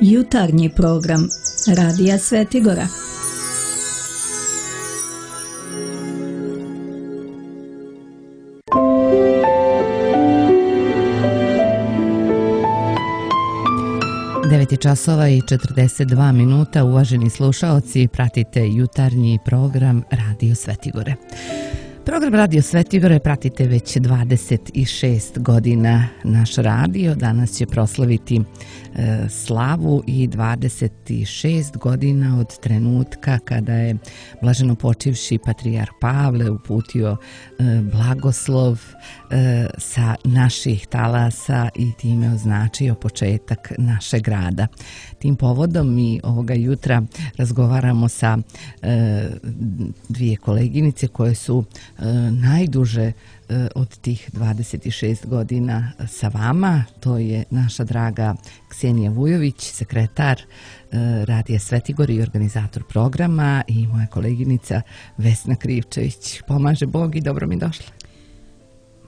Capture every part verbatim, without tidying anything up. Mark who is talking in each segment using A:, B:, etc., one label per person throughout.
A: Jutarnji program Radija Svetigora.
B: devet časova i četrdeset dva minuta, uvaženi slušaoci, pratite jutarnji program Radio Svetigore. Program Radio Svetigore pratite već dvadeset šest godina. Naš radio danas će proslaviti e, slavu i dvadeset šest godina od trenutka kada je blaženo počivši patrijarh Pavle uputio e, blagoslov e, sa naših talasa i time označio početak našeg rada. Tim povodom mi ovoga jutra razgovaramo sa e, dvije koleginice koje su e, najduže e, od tih dvadeset šest godina sa vama. To je naša draga Ksenija Vujović, sekretar e, Radija Svetigor i organizator programa, i moja koleginica Vesna Krivčević. Pomaže Bog i dobro mi došla.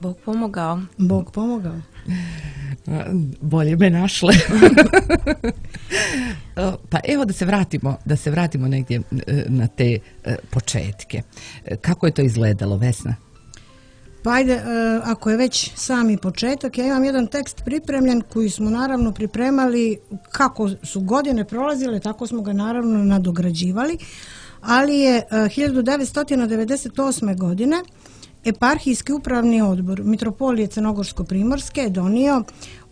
C: Bog pomogao.
D: Bog pomogao.
B: Bolje me našle. Pa evo da se vratimo, da se vratimo negdje na te početke. Kako je to izgledalo, Vesna?
D: Pa ajde, ako je već sami početak, ja imam jedan tekst pripremljen koji smo naravno pripremali kako su godine prolazile, tako smo ga naravno nadograđivali, ali je hiljadu devetsto devedeset osme. godine Eparhijski upravni odbor Mitropolije Crnogorsko-Primorske je donio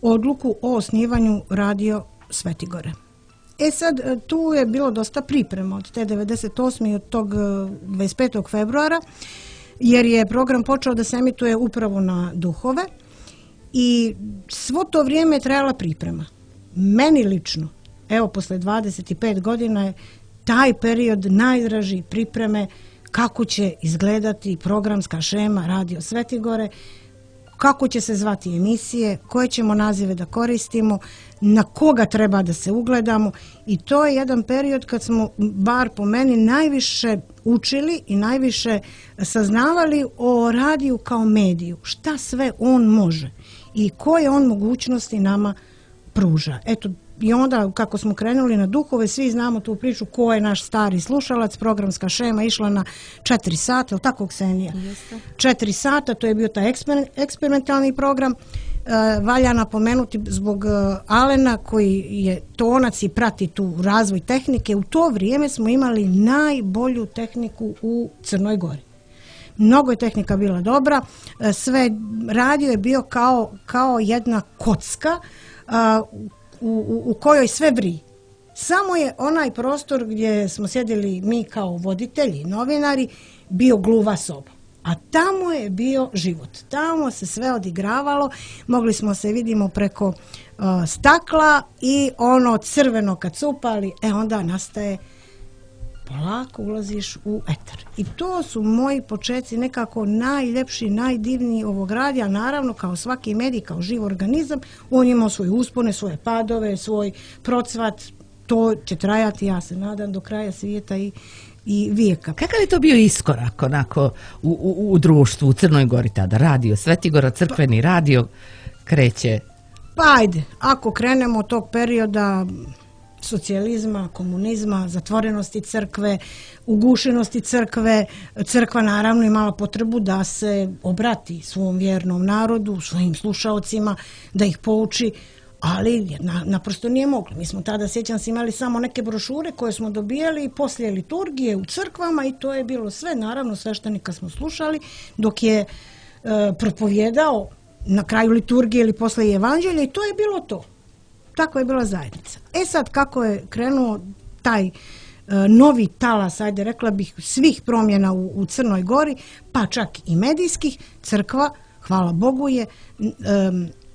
D: odluku o osnivanju Radio Svetigore. E sad, tu je bilo dosta priprema od te devedeset osme i od tog dvadeset petog februara, jer je program počeo da se emituje upravo na duhove i svo to vrijeme je trajala priprema. Meni lično, evo posle dvadeset pet godina je taj period najdraži pripreme, kako će izgledati programska šema Radio Svetigore, kako će se zvati emisije, koje ćemo nazive da koristimo, na koga treba da se ugledamo, i to je jedan period kad smo, bar po meni, najviše učili i najviše saznavali o radiju kao mediju, šta sve on može i koje on mogućnosti nama pruža. Eto, i onda kako smo krenuli na duhove, svi znamo tu priču ko je naš stari slušalac. Programska šema išla na četiri sata, ili tako, Ksenija?
C: Jeste.
D: Četiri sata, to je bio taj eksper, eksperimentalni program. E, valja napomenuti zbog uh, Alena, koji je tonac i prati tu razvoj tehnike. U to vrijeme smo imali najbolju tehniku u Crnoj Gori. Mnogo je tehnika bila dobra, e, sve radio je bio kao, kao jedna kocka uh, U, u, u kojoj sve vrije. Samo je onaj prostor gdje smo sjedili mi kao voditelji, novinari, bio gluva soba. A tamo je bio život. Tamo se sve odigravalo. Mogli smo se vidimo preko uh, stakla i ono crveno kad su upali, e onda nastaje, polako ulaziš u etar. I to su moji početci, nekako najljepši, najdivniji ovog radija. Naravno, kao svaki medij, kao živ organizam, on imao svoje uspone, svoje padove, svoj procvat. To će trajati, ja se nadam, do kraja svijeta i, i vijeka.
B: Kakav je to bio iskorak onako u, u, u društvu u Crnoj Gori tada? Radio Svetigora, crkveni radio kreće.
D: Pa ajde, ako krenemo od tog perioda socijalizma, komunizma, zatvorenosti crkve, ugušenosti crkve, crkva naravno imala potrebu da se obrati svom vjernom narodu, svojim slušaocima, da ih pouči, ali na, naprosto nije moglo. Mi smo tada, sjećam se, imali samo neke brošure koje smo dobijali poslije liturgije u crkvama i to je bilo sve. Naravno, sveštenika smo slušali dok je e, propovjedao na kraju liturgije ili posle evanđelja, i to je bilo to. Tako je bila zajednica. E sad, kako je krenuo taj e, novi talas, ajde rekla bih, svih promjena u, u Crnoj Gori, pa čak i medijskih, crkva, hvala Bogu, je e,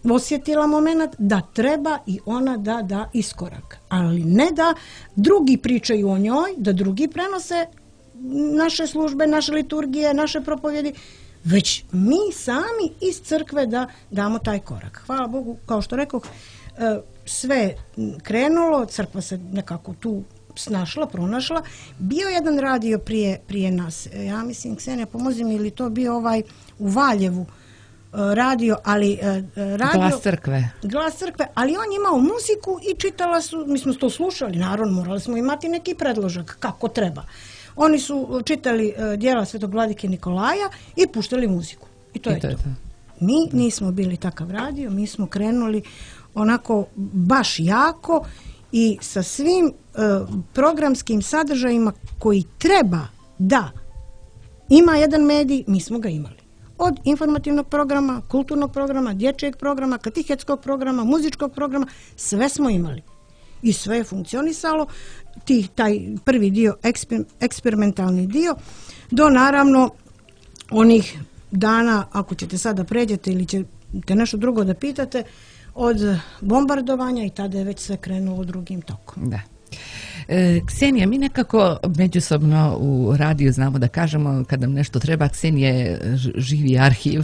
D: osjetila moment da treba i ona da da iskorak. Ali ne da drugi pričaju o njoj, da drugi prenose naše službe, naše liturgije, naše propovjedi, već mi sami iz crkve da damo taj korak. Hvala Bogu, kao što rekoh, sve krenulo, crkva se nekako tu snašla, pronašla. Bio jedan radio prije, prije nas, ja mislim, Ksenija, pomozi mi, ili to bio ovaj u Valjevu, radio, ali radio...
B: Glas crkve.
D: Glas crkve, ali on je imao muziku i čitala su, mi smo to slušali, naravno, morali smo imati neki predložak kako treba. Oni su čitali djela Svetog vladike Nikolaja i puštali muziku. I to I je to. to. Je to. Mi nismo bili takav radio, mi smo krenuli onako baš jako i sa svim uh, programskim sadržajima koji treba da ima jedan medij, mi smo ga imali. Od informativnog programa, kulturnog programa, dječjeg programa, katehetskog programa, muzičkog programa, sve smo imali. I sve je funkcionisalo, ti, taj prvi dio, eksper, eksperimentalni dio, do naravno onih dana, ako ćete sada pređete ili ćete nešto drugo da pitate, od bombardovanja i tada je već sve krenulo drugim tokom.
B: Da. E, Ksenija, mi nekako međusobno u radiju znamo da kažemo kad nam nešto treba, Ksenija je živi arhiv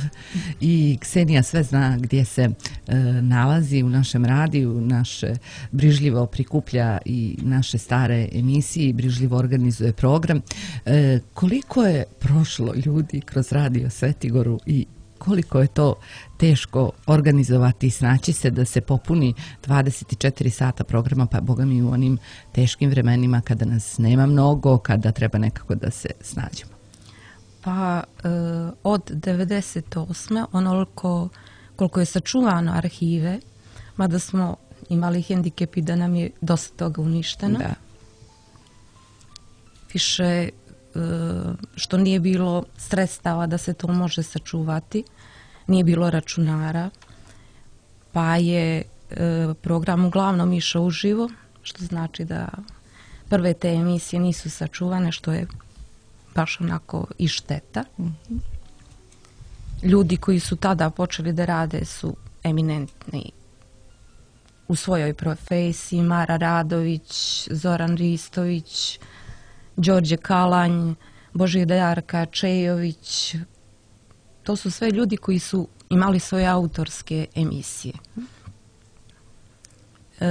B: i Ksenija sve zna gdje se e, nalazi u našem radiju, naše brižljivo prikuplja i naše stare emisije i brižljivo organizuje program. E, koliko je prošlo ljudi kroz radio Svetigoru i koliko je to teško organizovati i snaći se da se popuni dvadeset četiri sata programa, pa boga mi u onim teškim vremenima kada nas nema mnogo, kada treba nekako da se snađemo.
C: Pa e, od devedeset osme onoliko koliko je sačuvano arhive, mada smo imali hendikep i da nam je dosta toga uništeno.
B: Da.
C: Više što nije bilo sredstava da se to može sačuvati, nije bilo računara, pa je program uglavnom išao uživo, što znači da prve te emisije nisu sačuvane, što je baš onako i šteta. Mm-hmm. Ljudi koji su tada počeli da rade su eminentni u svojoj profesiji, Mara Radović, Zoran Ristović, Đorđe Kalanj, Božidar Čejović. To su sve ljudi koji su imali svoje autorske emisije. E,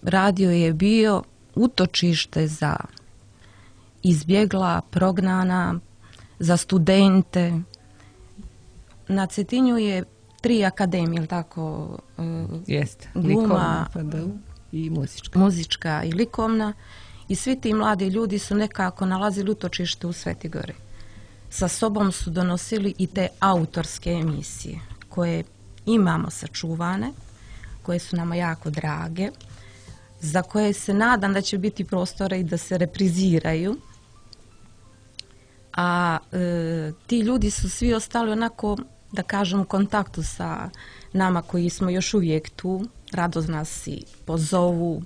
C: radio je bio utočište za izbjegla, prognana, za studente. Na Cetinju je tri akademije, ili tako?
B: Jeste,
C: gluma,
B: i muzička.
C: Muzička i likovna. I svi ti mladi ljudi su nekako nalazili utočište u Svetigori. Sa sobom su donosili i te autorske emisije koje imamo sačuvane, koje su nama jako drage, za koje se nadam da će biti prostora i da se repriziraju. A e, ti ljudi su svi ostali onako, da kažem, u kontaktu sa nama koji smo još uvijek tu, rado nas i pozovu,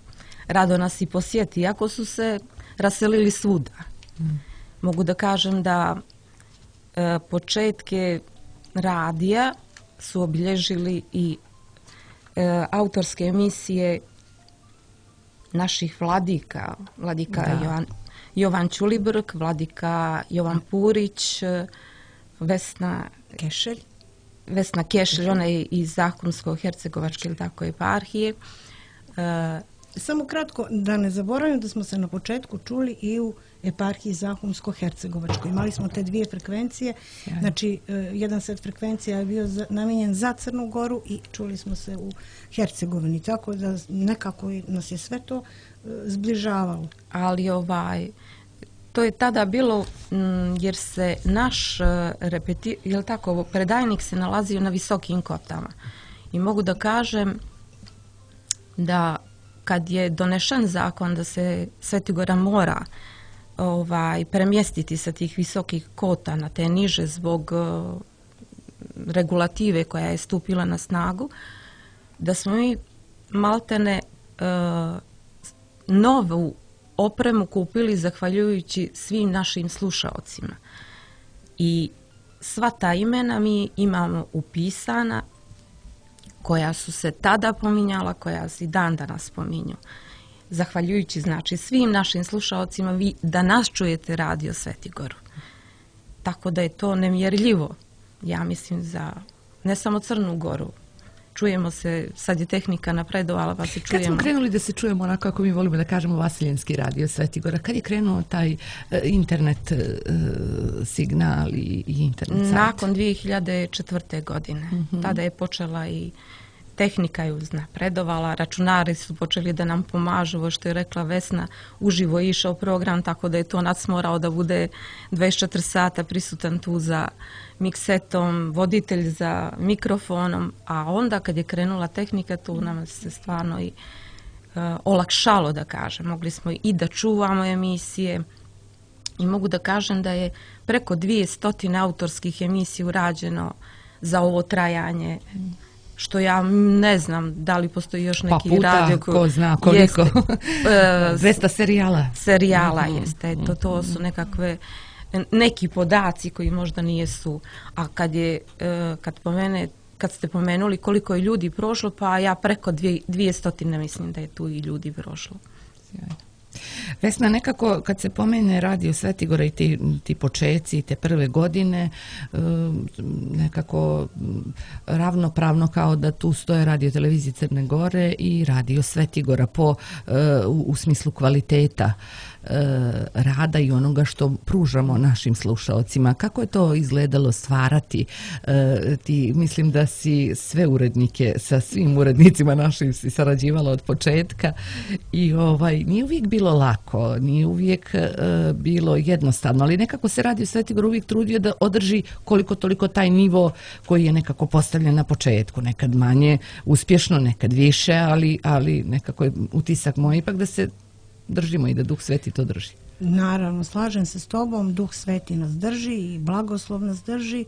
C: rado nas i posjeti, iako su se raselili svuda. Mm. Mogu da kažem da e, početke radija su obilježili i e, autorske emisije naših vladika, vladika Jovan, Jovan Ćulibrk, vladika Jovan Purić, Vesna
D: Kešelj,
C: Vesna Kešelj, ona je iz Zahumsko-hercegovačke ili tako eparhije. E,
D: Samo kratko, da ne zaboravim da smo se na početku čuli i u eparhiji Zahumsko-hercegovačkoj. Imali smo te dvije frekvencije, ja. Znači jedan set frekvencija je bio za, namijenjen za Crnu Goru i čuli smo se u Hercegovini, tako da nekako nas je sve to zbližavalo.
C: Ali ovaj, to je tada bilo m, jer se naš repeti, jel tako, predajnik se nalazio na visokim kotama. I mogu da kažem da kad je donešen zakon da se Svetigora mora ovaj, premjestiti sa tih visokih kota na te niže zbog uh, regulative koja je stupila na snagu, da smo mi maltene uh, novu opremu kupili zahvaljujući svim našim slušaocima. I sva ta imena mi imamo upisana, koja su se tada pominjala, koja se i dan danas pominju. Zahvaljujući znači svim našim slušaocima, vi da nas čujete radio Svetigoru. Tako da je to nemjerljivo, ja mislim, za ne samo Crnu Goru, čujemo se, sad je tehnika napredovala pa se čujemo.
B: Kad smo krenuli da se čujemo onako kako mi volimo da kažemo Vasiljenski radio Svetigora, kad je krenuo taj uh, internet uh, signal i, i internet sajt?
C: Nakon dvije hiljade četvrte. godine. Mm-hmm. Tada je počela i tehnika je uznapredovala, računari su počeli da nam pomažu, ovo što je rekla Vesna, uživo je išao program, tako da je to nas morao da bude dvadeset četiri sata prisutan tu za miksetom, voditelj za mikrofonom, a onda kad je krenula tehnika, tu nam se stvarno i uh, olakšalo, da kažem. Mogli smo i da čuvamo emisije i mogu da kažem da je preko dvjesto autorskih emisija urađeno za ovo trajanje, što ja ne znam da li postoji još neki
B: pa puta,
C: radio
B: ko zna koliko. dvjesto serijala.
C: Serijala
B: mm-hmm.
C: jeste. To, to su nekakve neki podaci koji možda nijesu. A kad je, kad pomene, kad ste pomenuli koliko je ljudi prošlo, pa ja preko dvije, dvije stotine mislim da je tu i ljudi prošlo.
B: Sjajno. Vesna, nekako kad se pomene radio Svetigora i ti, ti počeci i te prve godine, nekako ravnopravno kao da tu stoje radio televizije Crne Gore i radio Svetigora po, u, u smislu kvaliteta rada i onoga što pružamo našim slušaocima. Kako je to izgledalo stvarati? Ti, mislim da si sve urednike sa svim urednicima našim si sarađivala od početka i ovaj, nije uvijek bilo lako, nije uvijek bilo jednostavno, ali nekako se Radio Svetigor uvijek trudio da održi koliko toliko taj nivo koji je nekako postavljen na početku, nekad manje uspješno, nekad više, ali, ali nekako je utisak moj ipak da se držimo i da Duh Sveti to drži.
D: Naravno, slažem se s tobom, Duh Sveti nas drži i blagoslov nas drži,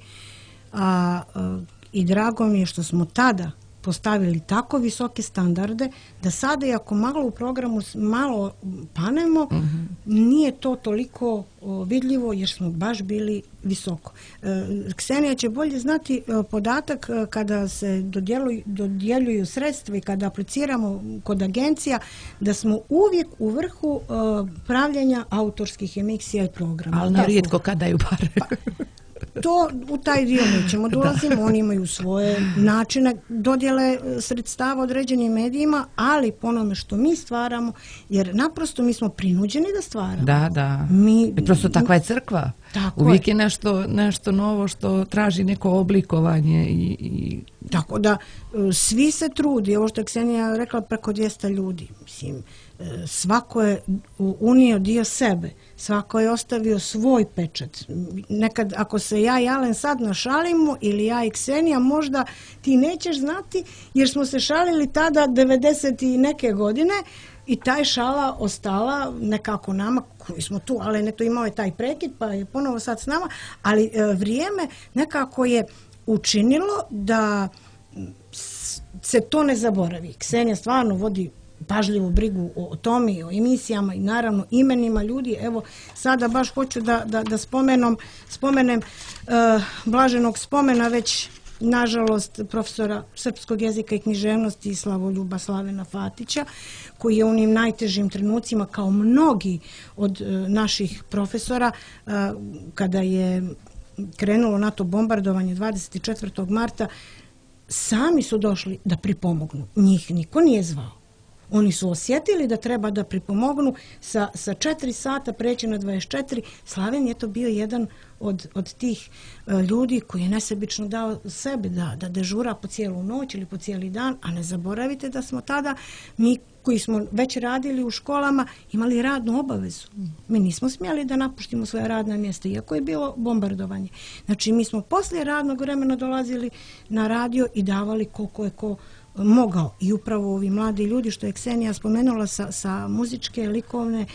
D: a, a, i drago mi je što smo tada postavili tako visoke standarde da sada i ako malo u programu malo panemo, mm-hmm. nije to toliko o, vidljivo jer smo baš bili visoko. E, Ksenija će bolje znati e, podatak e, kada se dodjeluju, dodjeljuju sredstva i kada apliciramo kod agencija da smo uvijek u vrhu e, pravljenja autorskih emisija i programa.
B: Ali na rijetko kada daju pare.
D: Pa, to u taj dio nećemo dolazimo, oni imaju svoje načine dodjele sredstava određenim medijima, ali po onome što mi stvaramo, jer naprosto mi smo prinuđeni da stvaramo.
B: Da, da.
D: Mi,
B: I prosto takva je crkva.
D: Tako
B: uvijek je,
D: je
B: nešto, nešto novo što traži neko oblikovanje. I, i...
D: Tako da svi se trudi, ovo što je Ksenija rekla, preko dvjesto ljudi. Mislim, svako je unio dio sebe, svako je ostavio svoj pečat. Nekad ako se ja i Alen sad našalimo ili ja i Ksenija, možda ti nećeš znati jer smo se šalili tada devedeset i neke godine i taj šala ostala nekako nama koji smo tu, ali neto imao je taj prekid pa je ponovo sad s nama, ali e, vrijeme nekako je učinilo da se to ne zaboravi. Ksenija stvarno vodi pažljivu brigu o tome, o emisijama i naravno imenima ljudi. Evo, sada baš hoću da, da, da spomenom, spomenem uh, blaženog spomena već nažalost profesora srpskog jezika i književnosti Slavoljuba Slavena Fatića, koji je u onim najtežim trenucima kao mnogi od uh, naših profesora uh, kada je krenulo NATO bombardovanje dvadeset četvrtog marta, sami su došli da pripomognu. Njih niko nije zvao. Oni su osjetili da treba da pripomognu sa, sa četiri sata preći na dvadeset četiri. Slaven je to bio jedan od, od tih uh, ljudi koji je nesebično dao sebe da, da dežura po cijelu noć ili po cijeli dan, a ne zaboravite da smo tada, mi koji smo već radili u školama, imali radnu obavezu. Mi nismo smjeli da napuštimo svoje radna mjesta, iako je bilo bombardovanje. Znači, mi smo poslije radnog vremena dolazili na radio i davali koliko je ko mogao. I upravo ovi mladi ljudi, što je Ksenija spomenula sa, sa muzičke, likovne,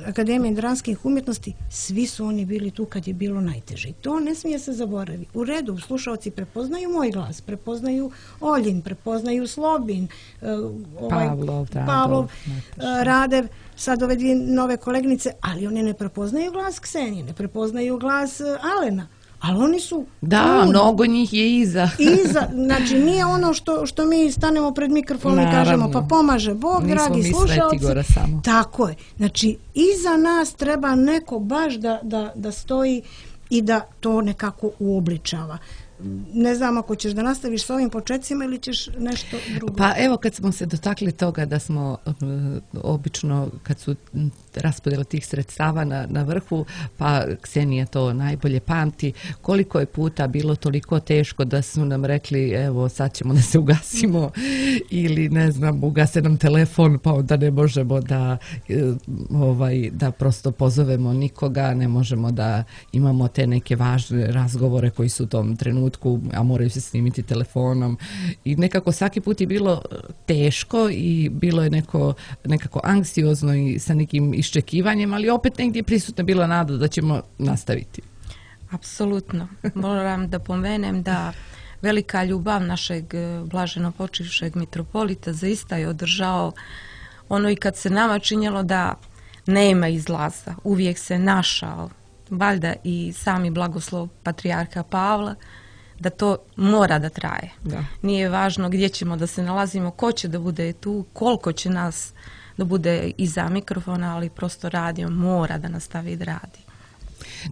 D: Akademije dramskih umjetnosti, svi su oni bili tu kad je bilo najteže. I to ne smije se zaboraviti. U redu, slušalci prepoznaju moj glas, prepoznaju Oljin, prepoznaju Slobin, ovaj,
B: Pavlov,
D: Pavlov Radev, sad ove dvije nove kolegnice, ali oni ne prepoznaju glas Ksenije, ne prepoznaju glas Alena. Ali oni su...
B: Da, um, mnogo njih je iza.
D: Iza, znači nije ono što, što mi stanemo pred mikrofonom i kažemo pa pomaže Bog, nismo dragi slušalci. Tako je. Znači, iza nas treba neko baš da, da, da stoji i da to nekako uobličava. ne znam ako ćeš da nastaviš s ovim početcima ili ćeš nešto drugo.
B: Pa evo kad smo se dotakli toga da smo uh, obično kad su raspodjela tih sredstava na, na vrhu, pa Ksenija to najbolje pamti, koliko je puta bilo toliko teško da su nam rekli evo sad ćemo da se ugasimo ili ne znam ugase nam telefon pa onda ne možemo da ovaj da prosto pozovemo nikoga, ne možemo da imamo te neke važne razgovore koji su u tom trenutku, a moraju se snimiti telefonom i nekako svaki put je bilo teško i bilo je neko, nekako anksiozno i sa nekim iščekivanjem, ali opet negdje prisutna bila nada da ćemo nastaviti.
C: Apsolutno. Moram da pomenem da velika ljubav našeg blaženo počivšeg mitropolita zaista je održao ono i kad se nama činjelo da nema izlaza, uvijek se našao, valjda i sami blagoslov patrijarha Pavla, da to mora da traje. Da. Nije važno gdje ćemo da se nalazimo, ko će da bude tu, koliko će nas da bude iza mikrofona, ali prosto radio mora da nastavi da radi.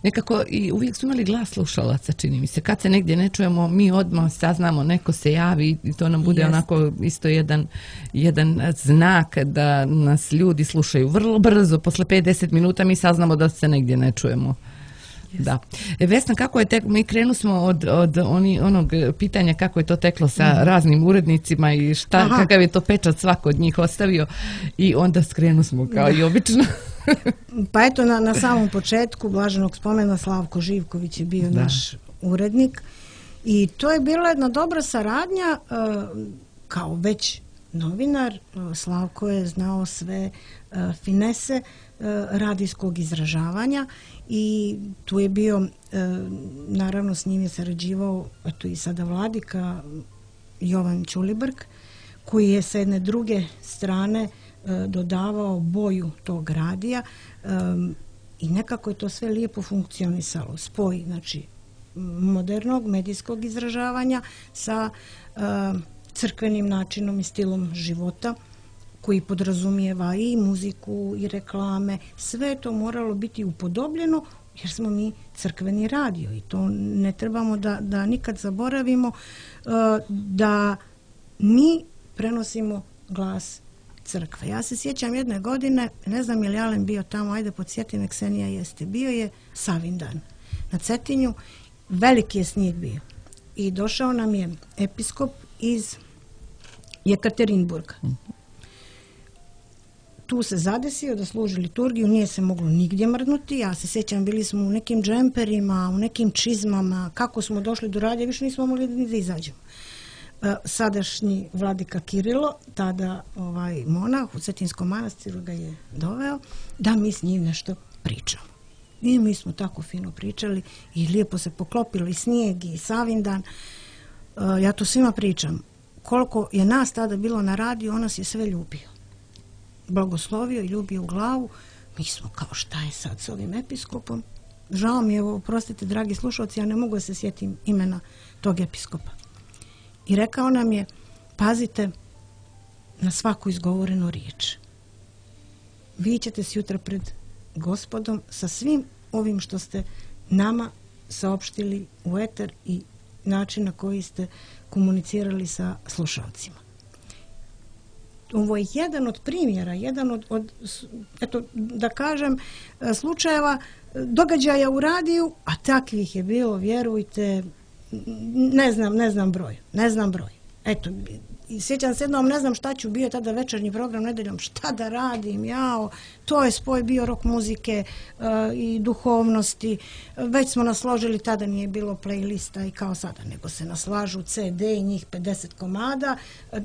B: Nekako i uvijek su imali glas slušalaca, čini mi se. Kad se negdje ne čujemo, mi odmah saznamo, neko se javi i to nam bude Jest. onako isto jedan, jedan znak da nas ljudi slušaju. Vrlo brzo, posle pet do deset minuta mi saznamo da se negdje ne čujemo. Da. Vesna, kako je tek, mi krenu smo od, od oni, onog pitanja kako je to teklo sa mm. raznim urednicima i šta, kakav je to pečat svako od njih ostavio i onda skrenu smo kao da. i obično.
D: Pa eto, na, na samom početku blaženog spomena Slavko Živković je bio da. naš urednik i to je bila jedna dobra saradnja, kao već novinar, Slavko je znao sve finese radijskog izražavanja i tu je bio, naravno s njim je sarađivao eto i sada vladika Jovan Ćulibrk, koji je sa jedne druge strane dodavao boju tog radija i nekako je to sve lijepo funkcionisalo. Spoj, znači, modernog medijskog izražavanja sa crkvenim načinom i stilom života koji podrazumijeva i muziku i reklame. Sve je to moralo biti upodobljeno jer smo mi crkveni radio i to ne trebamo da, da nikad zaboravimo da mi prenosimo glas crkve. Ja se sjećam jedne godine, ne znam je li Alen bio tamo, ajde podsjeti me, Ksenija jeste, bio je Savindan na Cetinju, veliki je snijeg bio i došao nam je episkop iz Jekaterinburga. Tu se zadesio da služi liturgiju, nije se moglo nigdje mrdnuti, ja se sjećam, bili smo u nekim džemperima, u nekim čizmama, kako smo došli do radija, više nismo mogli ni da izađemo. Sadašnji vladika Kirilo, tada ovaj monah u Cetinskom manastiru ga je doveo da mi s njim nešto pričamo. I mi smo tako fino pričali i lijepo se poklopilo i snijeg i Savindan. Ja to svima pričam. Koliko je nas tada bilo na radiju, on nas je sve ljubio. Blagoslovio i ljubio u glavu. Mi smo kao šta je sad s ovim episkopom? Žao mi je, oprostite dragi slušalci, ja ne mogu da se sjetim imena tog episkopa. I rekao nam je, pazite na svaku izgovorenu riječ. Vi ćete se jutra pred Gospodom sa svim ovim što ste nama saopštili u eter i način na koji ste komunicirali sa slušalcima. Ovo je jedan od primjera, jedan od, od eto, da kažem, slučajeva, događaja u radiju, a takvih je bilo, vjerujte, ne znam, ne znam broj, ne znam broj. Eto, sjećam se jednom, ne znam šta ću, bio tada večernji program nedeljom, šta da radim, jao, to je spoj bio rock muzike uh, i duhovnosti, već smo nasložili, tada nije bilo playlista i kao sada, nego se naslažu ce de i njih pedeset komada,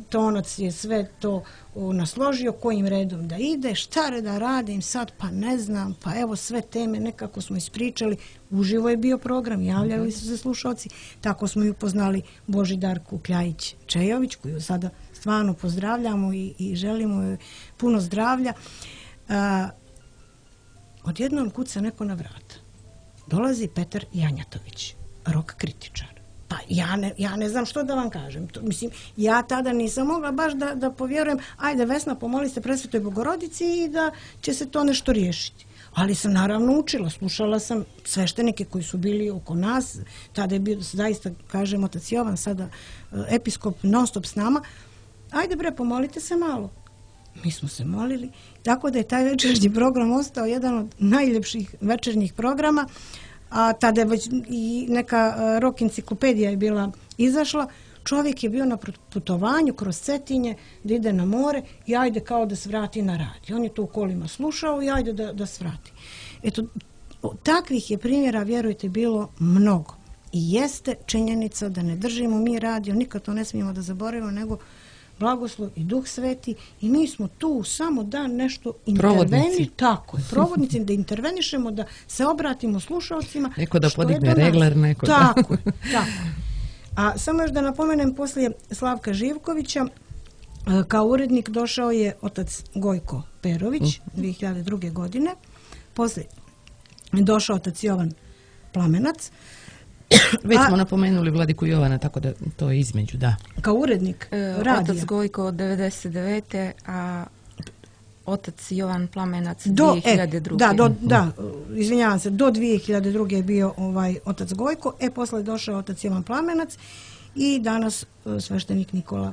D: Tonac je sve to uh, nasložio, kojim redom da ide, šta da radim sad, pa ne znam, pa evo sve teme nekako smo ispričali, uživo je bio program, javljali su se slušalci, tako smo i upoznali Božidarku Kljajić-Čejović, koju sada stvarno pozdravljamo i, i želimo joj puno zdravlja. A, odjednom kuca neko na vrata. Dolazi Petar Janjatović, rock kritičar. Pa ja ne, ja ne znam što da vam kažem. To, mislim, ja tada nisam mogla baš da, da povjerujem, ajde Vesna, pomoli se Presvetoj Bogorodici i da će se to nešto riješiti. ali sam naravno učila, slušala sam sveštenike koji su bili oko nas, tada je bio, zaista, kažem, otac Jovan, sada episkop, non stop s nama, ajde bre, pomolite se malo. Mi smo se molili, tako da je taj večernji program ostao jedan od najljepših večernjih programa, a tada je već i neka rock enciklopedija je bila izašla. Čovjek je bio na putovanju kroz Cetinje da ide na more i ajde kao da svrati na radio. On je to u kolima slušao i ajde da, da svrati. Eto, takvih je primjera, vjerujte, bilo mnogo. I jeste činjenica da ne držimo mi radio, nikad to ne smijemo da zaboravimo, nego blagoslov i Duh Sveti i mi smo tu samo da nešto interveni, tako je, provodnici, da intervenišemo, da se obratimo slušalcima.
B: Neko da podigne regler, neko da...
D: Tako je, tako je. A samo još da napomenem, poslije Slavka Živkovića kao urednik došao je otac Gojko Perović dvije hiljade druge. godine. Poslije je došao otac Jovan Plamenac.
B: Već smo napomenuli Vladiku Jovana, tako da to je između, da.
D: Kao urednik
C: e,
D: radija.
C: Otac Gojko od devedeset devete. a otac Jovan Plamenac
D: do,
C: dvije hiljade druge.
D: E, da, do, da, izvinjavam se, do dvije hiljade druge. je bio ovaj otac Gojko, e posle je došao otac Jovan Plamenac i danas sveštenik Nikola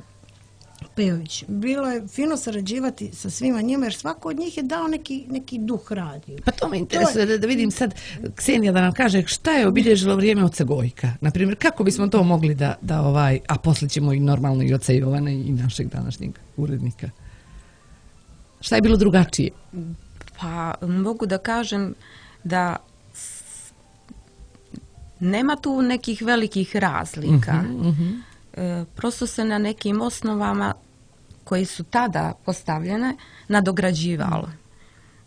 D: Pejović. Bilo je fino sarađivati sa svima njima, jer svako od njih je dao neki, neki duh radiju.
B: Pa to me interesuje da, da vidim sad, Ksenija, da nam kaže šta je obilježilo vrijeme oca Gojka. Naprimjer, kako bismo to mogli da, da ovaj, a poslije ćemo i normalno i oca Jovana i našeg današnjeg urednika. Šta je bilo drugačije?
C: Pa mogu da kažem da s... nema tu nekih velikih razlika.
B: Uh-huh, uh-huh.
C: E, prosto se na nekim osnovama koji su tada postavljene nadograđivalo.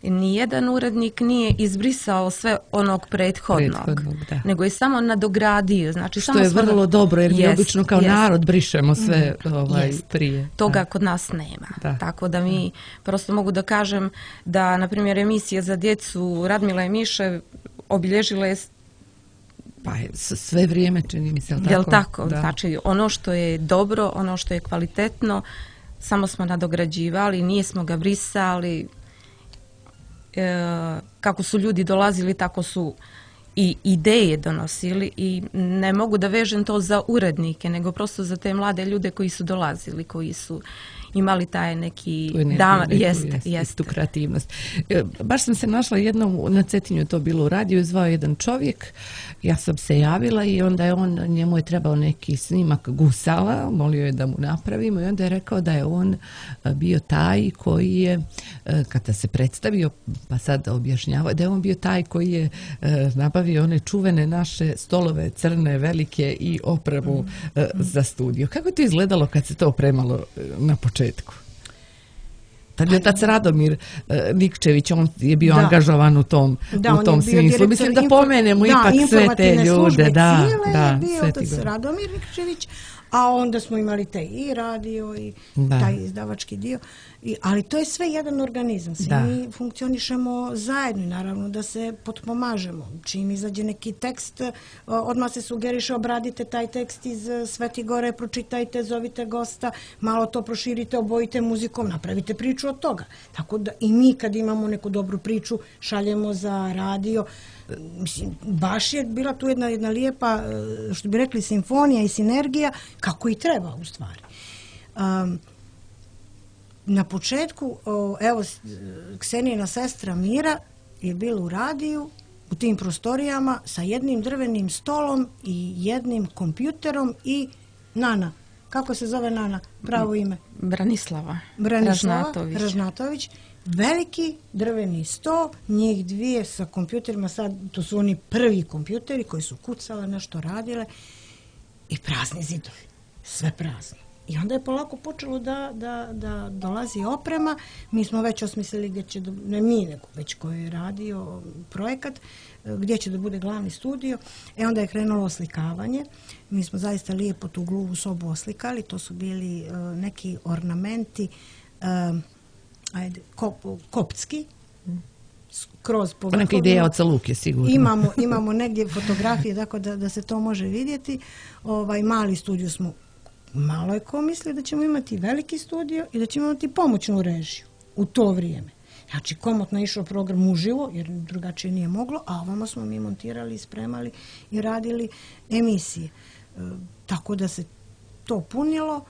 C: Nijedan urednik nije izbrisao sve onog prethodnog, prethodnog nego je samo nadogradio. Znači,
B: što
C: samo
B: je vrlo
C: da...
B: dobro, jer mi
C: jest,
B: obično kao
C: jest. narod
B: brišemo sve
C: mm,
B: ovaj,
C: jest.
B: prije.
C: Toga
B: da.
C: kod nas nema.
B: Da.
C: Tako da mi da. prosto mogu da kažem da, na primjer, emisija za djecu Radmila i Miše obilježila je
B: pa je sve vrijeme, čini mi se, tako?
C: Jel tako? Da. Znači, ono što je dobro, ono što je kvalitetno, samo smo nadograđivali, nismo ga brisali. E, kako su ljudi dolazili, tako su i ideje donosili i ne mogu da vežem to za urednike, nego prosto za te mlade ljude koji su dolazili, koji su imali taj neki
B: energiju,
C: da,
B: neku,
C: jeste,
B: jeste,
C: jeste.
B: tu kreativnost. E, baš sam se našla jednom, na Cetinju je to bilo u radiju, zvao jedan čovjek, ja sam se javila i onda je on, njemu je trebao neki snimak gusala, molio je da mu napravimo i onda je rekao da je on bio taj koji je, kada se predstavio, pa sad objašnjavao, da je on bio taj koji je nabavio one čuvene naše stolove crne, velike i opremu mm. za studio. Kako je to izgledalo kad se to opremalo na početku? Tad je otac Radomir Nikčević, on je bio da. angažovan u tom,
D: da,
B: u tom smislu. Mislim da pomenemo
D: da,
B: ipak sve te ljude. Da,
D: da, je bio otac gore. Radomir Nikčević, a onda smo imali taj i radio i da. taj izdavački dio. I, ali to je sve jedan organizam. Svi da. mi funkcionišemo zajedno i naravno da se potpomažemo. Čim izađe neki tekst, odmah se sugeriše, obradite taj tekst iz Sveti Gore, pročitajte, zovite gosta, malo to proširite, obojite muzikom, napravite priču od toga. Tako da i mi kad imamo neku dobru priču, šaljemo za radio. Mislim, baš je bila tu jedna, jedna lijepa, što bi rekli, simfonija i sinergija, kako i treba u stvari. Um, na početku, evo, Ksenijina sestra Mira je bila u radiju, u tim prostorijama, sa jednim drvenim stolom i jednim kompjuterom i Nana. Kako se zove Nana? Pravo ime?
C: Branislava.
D: Branislava
C: Ražnatović.
D: Ražnatović. Veliki drveni sto, njih dvije sa kompjuterima, sad to su oni prvi kompjuteri koji su kucale, nešto radile i prazni zidovi, sve prazno. I onda je polako počelo da, da, da dolazi oprema, mi smo već osmislili gdje će, da, ne mi nego već koji je radio projekat, gdje će da bude glavni studio, e onda je krenulo oslikavanje, mi smo zaista lijepo tu gluvu sobu oslikali, to su bili uh, neki ornamenti, uh, ajde, kop, koptski, kroz po
B: neka ideja od Luke, sigurno.
D: Imamo, imamo negdje fotografije, tako da, da se to može vidjeti. Ovaj mali studio smo, malo je ko misli da ćemo imati veliki studio i da ćemo imati pomoćnu režiju u to vrijeme. Znači, komotno je išao program uživo, jer drugačije nije moglo, a ovamo smo mi montirali, spremali i radili emisije. E, tako da se to punilo.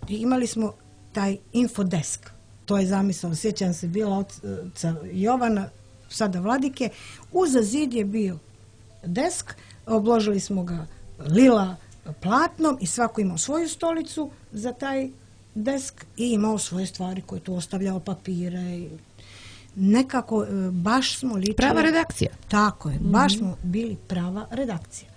D: Imali smo taj infodesk. To je zamisao, sjećam se, bila oca Jovana, sada Vladike. Uza zid je bio desk, obložili smo ga lila platnom i svako imao svoju stolicu za taj desk i imao svoje stvari koje tu ostavljao, papire i nekako baš smo ličili...
B: Prava redakcija.
D: Tako je, baš mm-hmm. smo bili prava redakcija.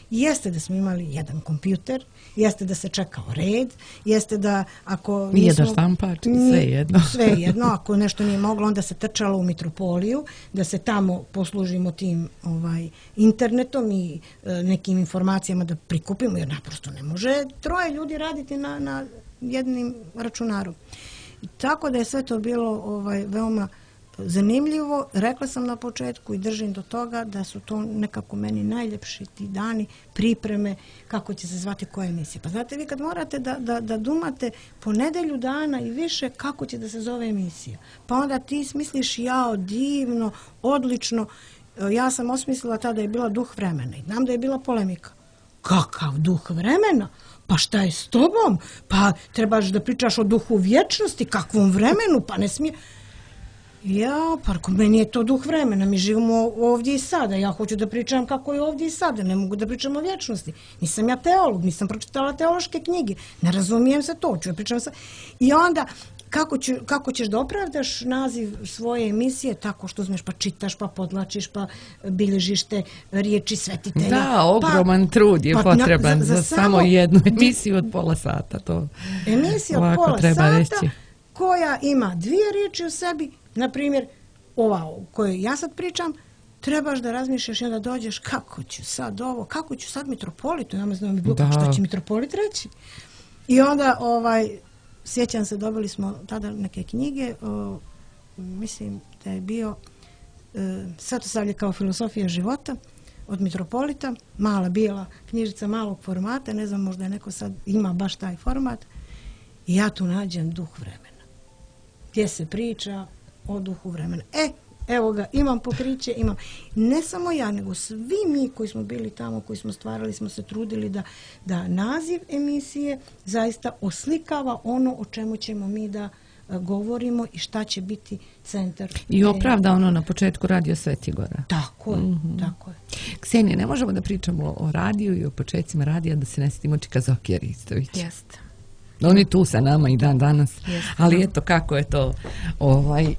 D: Jeste da smo imali jedan kompjuter, jeste da se čekao red, jeste da ako...
B: Nije da štampač, sve jedno.
D: Sve jedno, ako nešto nije moglo, onda se trčalo u Mitropoliju, da se tamo poslužimo tim ovaj, internetom i e, nekim informacijama da prikupimo, jer naprosto ne može troje ljudi raditi na, na jednim računaru. Tako da je sve to bilo ovaj, veoma zanimljivo. Rekla sam na početku i držim do toga da su to nekako meni najljepši ti dani pripreme kako će se zvati koja emisija. Pa znate, vi kad morate da, da, da dumate po nedelju dana i više kako će da se zove emisija. Pa onda ti smisliš jao, divno, odlično. Ja sam osmislila tada je bila duh vremena i znam da je bila polemika. Kakav duh vremena? Pa šta je s tobom? Pa trebaš da pričaš o duhu vječnosti, kakvom vremenu? Pa ne smije... Ja, pa meni je to duh vremena, mi živimo ovdje i sada, ja hoću da pričam kako je ovdje i sada, ne mogu da pričam o vječnosti. Nisam ja teolog, nisam pročitala teološke knjige, ne razumijem se to, ću da pričam sa... I onda, kako, ću, kako ćeš da opravdaš naziv svoje emisije tako što uzmeš pa čitaš, pa podlačiš, pa bilježiš te riječi svetitelja.
B: Da, ogroman
D: pa,
B: trud je pa, potreban na, za, za samo, samo jednu emisiju od pola sata. To
D: emisija od pola sata reći. Koja ima dvije riječi u sebi. Na primjer, ova o kojoj ja sad pričam, trebaš da razmišljaš i onda dođeš kako ću sad ovo, kako ću sad mitropolitu, ja ne znam bilo kako što će mitropolit reći. I onda, ovaj, sjećam se, dobili smo tada neke knjige, o, mislim da je bio e, Svetosavlje kao filosofija života od mitropolita, mala bijela knjižica malog formata, ne znam, možda je neko sad ima baš taj format, i ja tu nađem duh vremena. Gdje se priča o duhu vremena. E, evo ga, imam pokriće, imam. Ne samo ja, nego svi mi koji smo bili tamo, koji smo stvarali, smo se trudili da, da naziv emisije zaista oslikava ono o čemu ćemo mi da a, govorimo i šta će biti centar.
B: I opravda ono na početku Radio Svetigora.
D: Tako je, mm-hmm. tako je.
B: Ksenija, ne možemo da pričamo o radiju i o početcima radija da se ne sjetimo Čika-Zokija Ristovića.
C: Jeste.
B: On je tu sa nama i dan danas,
C: Jeste.
B: Ali eto kako je to, ovaj,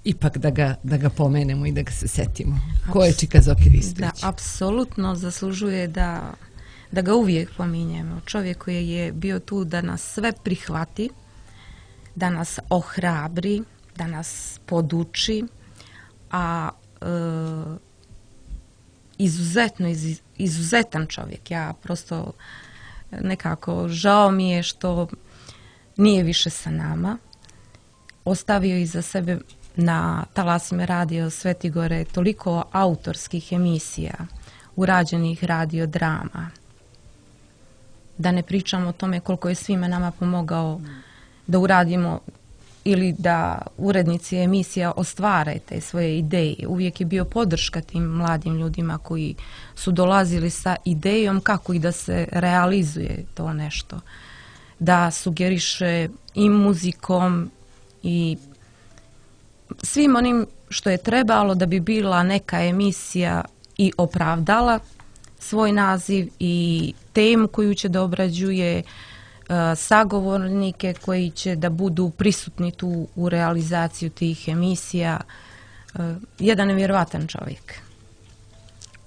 B: ipak da ga, da ga pomenemo i da ga se setimo. Ko je Čika-Zoki Ristović?
C: Da, apsolutno zaslužuje da, da ga uvijek pominjemo. Čovjek koji je bio tu da nas sve prihvati, da nas ohrabri, da nas poduči, a e, izuzetno, iz, izuzetan čovjek. Ja prosto... Nekako žao mi je što nije više sa nama. Ostavio iza sebe na talasima Radio Svetigore toliko autorskih emisija, urađenih radio drama. Da ne pričamo o tome koliko je svima nama pomogao da uradimo ili da urednici emisija ostvare te svoje ideje. Uvijek je bio podrška tim mladim ljudima koji su dolazili sa idejom kako i da se realizuje to nešto. Da sugeriše i muzikom i svim onim što je trebalo da bi bila neka emisija i opravdala svoj naziv i temu koju će da obrađuje, sagovornike koji će da budu prisutni tu u realizaciju tih emisija. Jedan nevjerovatan čovjek.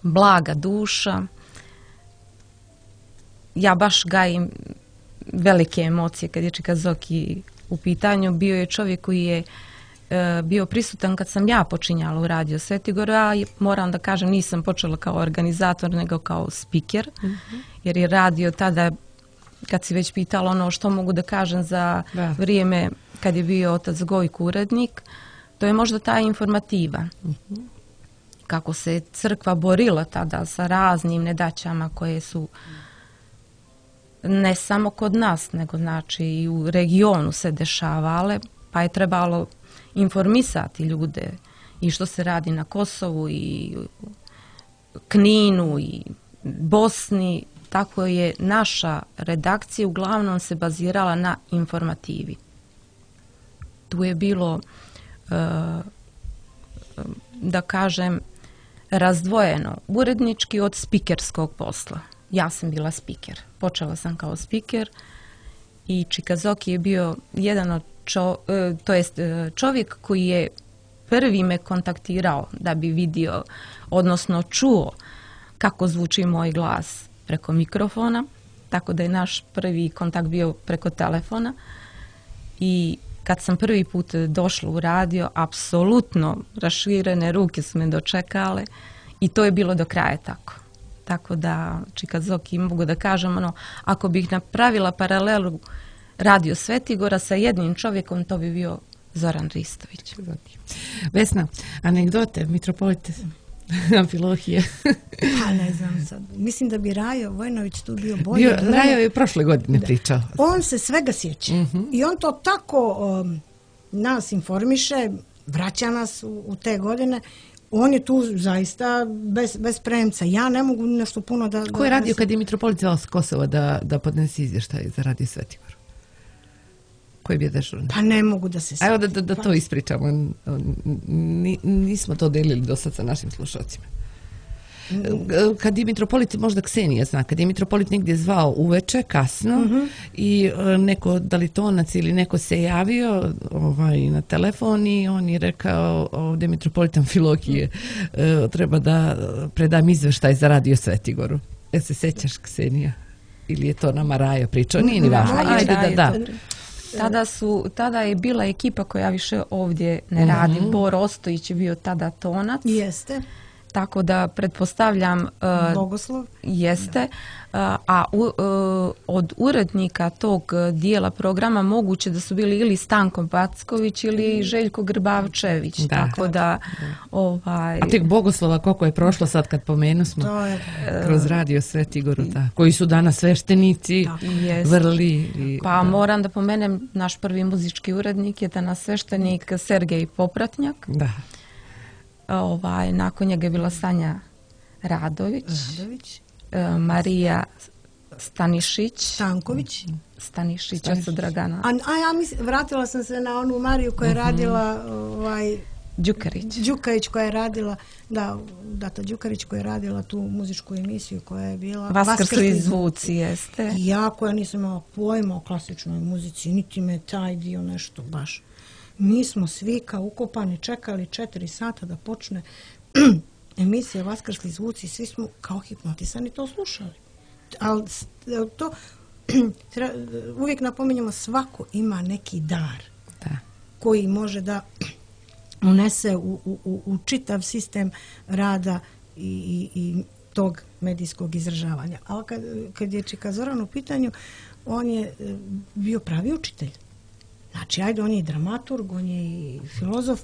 C: Blaga duša. Ja baš gajim velike emocije kad je Čika-Zoki u pitanju. Bio je čovjek koji je bio prisutan kad sam ja počinjala u Radio Svetigora, a moram da kažem nisam počela kao organizator nego kao spiker, mm-hmm. jer je radio tada, kad si već pitala ono što mogu da kažem za da. vrijeme kad je bio otac Gojko urednik, to je možda ta informativa. Mm-hmm. Kako se crkva borila tada sa raznim nedaćama koje su ne samo kod nas, nego znači i u regionu se dešavale, pa je trebalo informisati ljude i što se radi na Kosovu i Kninu i Bosni, tako je naša redakcija uglavnom se bazirala na informativi. Tu je bilo, da kažem, razdvojeno urednički od spikerskog posla. Ja sam bila spiker. Počela sam kao spiker i Čikazoki je bio jedan od čo, to jest čovjek koji je prvi me kontaktirao da bi vidio, odnosno čuo kako zvuči moj glas preko mikrofona, tako da je naš prvi kontakt bio preko telefona. I kad sam prvi put došla u radio, apsolutno raširene ruke su me dočekale i to je bilo do kraja tako. Tako da Čikazoki, mogu da kažem, ono, ako bih napravila paralelu Radio Svetigora sa jednim čovjekom, to bi bio Zoran Ristović.
B: Vesna, anegdote, mitropolite Amfilohije.
D: Pa ne znam sad. Mislim da bi Rajo Vojnović tu bio bolji.
B: Bio, Rajo je prošle godine da. pričao.
D: On se svega sjeća. Uh-huh. I on to tako um, nas informiše, vraća nas u, u te godine. On je tu zaista bez, bez premca. Ja ne mogu nešto puno da...
B: Ko je radio da, kad je mitropolit zvao s Kosova da, da podnesi izvještaj za Radio Svetigor? Ko je bio dežurni?
D: Pa ne mogu da se...
B: Evo da, da, da to ispričamo. Nismo to delili do sad sa našim slušalcima. Kad je mitropolit, možda Ksenija zna, kad je mitropolit negdje zvao uveče, kasno, uh-huh. i neko dalitonac ili neko se javio ovaj, na telefon i on je rekao ovdje mitropolit Amfilohije uh, treba da predam izveštaj za Radio Svetigoru. E se sećaš, Ksenija? Ili je to nama Rajo pričao? Nije ni važno. Ajde da, da.
C: Tada, su, tada je bila ekipa koja više ovdje ne radi. Mm-hmm. Bor Ostojić je bio tada tonac.
D: Jeste.
C: Tako da pretpostavljam... Uh,
D: Bogoslov.
C: Jeste. Uh, a u, uh, od urednika tog dijela programa moguće da su bili ili Stanko Backović ili Željko Grbavčević. Da. Tako da... Ovaj...
B: A tek Bogoslova koliko je prošlo sad kad pomenu smo to je, kroz Radio Svetigoru, da, koji su danas sveštenici, vrli. I,
C: pa da. Moram da pomenem, naš prvi muzički urednik je danas sveštenik Sergej Popratnjak.
B: Da.
C: Ovaj, nakon njega je bila Sanja Radović,
D: Radović.
C: E, Marija Stanišić,
D: Stanković,
C: Stanišić, Stanišić. Od Dragana.
D: A, a ja mislim, vratila sam se na onu Mariju koja je uh-huh. radila ovaj,
C: Đukarić.
D: Đukarić koja je radila, da, Data Đukarić koja je radila tu muzičku emisiju koja je bila
C: Vaskrsli zvuci, jeste.
D: Ja koja nisam imala pojma o klasičnoj muzici, niti me taj dio nešto baš. Mi smo svi kao ukopani čekali četiri sata da počne emisija Vaskrsli zvuci, svi smo kao hipnotisani to slušali. Ali to uvijek napominjemo, svako ima neki dar
B: da.
D: Koji može da unese u, u, u čitav sistem rada i, i, i tog medijskog izražavanja. Ali kad, kad je Čika Zoran u pitanju, on je bio pravi učitelj. Znači, ajde, on je i dramaturg, on je i filozof,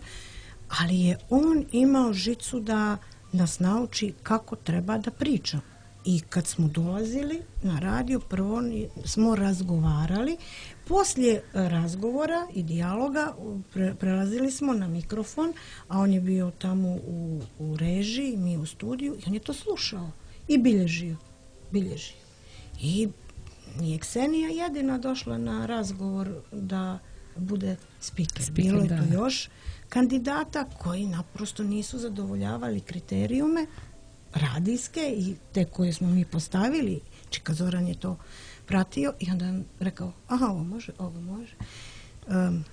D: ali je on imao žicu da nas nauči kako treba da priča. I kad smo dolazili na radio, prvo smo razgovarali, poslije razgovora i dijaloga pre, prelazili smo na mikrofon, a on je bio tamo u, u režiji, mi u studiju, i on je to slušao i bilježio, bilježio. I nije Ksenija jedina došla na razgovor da bude speaker. Speaker, bilo je tu još kandidata koji naprosto nisu zadovoljavali kriterijume radijske i te koje smo mi postavili. Čika Zoran je to pratio i onda je rekao, aha, ovo može, ovo može. Um,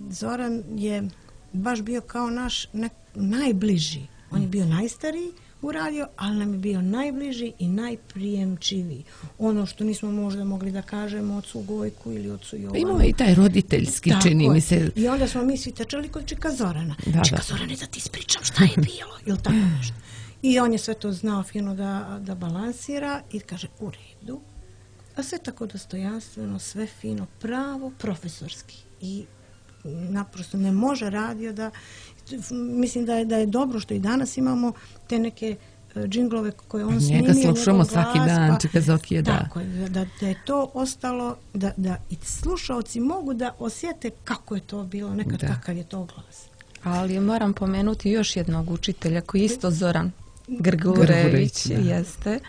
D: Zoran je baš bio kao naš ne, najbliži. On je bio najstariji u radio, ali nam je bio najbliži i najprijemčiviji. Ono što nismo možda mogli da kažemo ocu Gojku ili ocu Jovanu.
B: Imamo i taj roditeljski, tako čini mi se.
D: I onda smo mi svi tečali kod Čika Zorana. Da, Čika da. Zorane, da ti ispričam šta je bilo. Ili tako nešto. I on je sve to znao fino da, da balansira i kaže, u redu. A sve tako dostojanstveno, sve fino, pravo, profesorski. I naprosto ne može radio da... Mislim da je, da je dobro što i danas imamo te neke džinglove koje on
B: njega
D: snimio.
B: Njega slušamo svaki
D: glas,
B: dan,
D: pa,
B: Čika Zokije, da.
D: Tako je, da, da je to ostalo, da, da i slušaoci mogu da osjete kako je to bilo, nekad da. Kakav je to glas.
C: Ali moram pomenuti još jednog učitelja koji je isto Zoran Grgurević, jeste,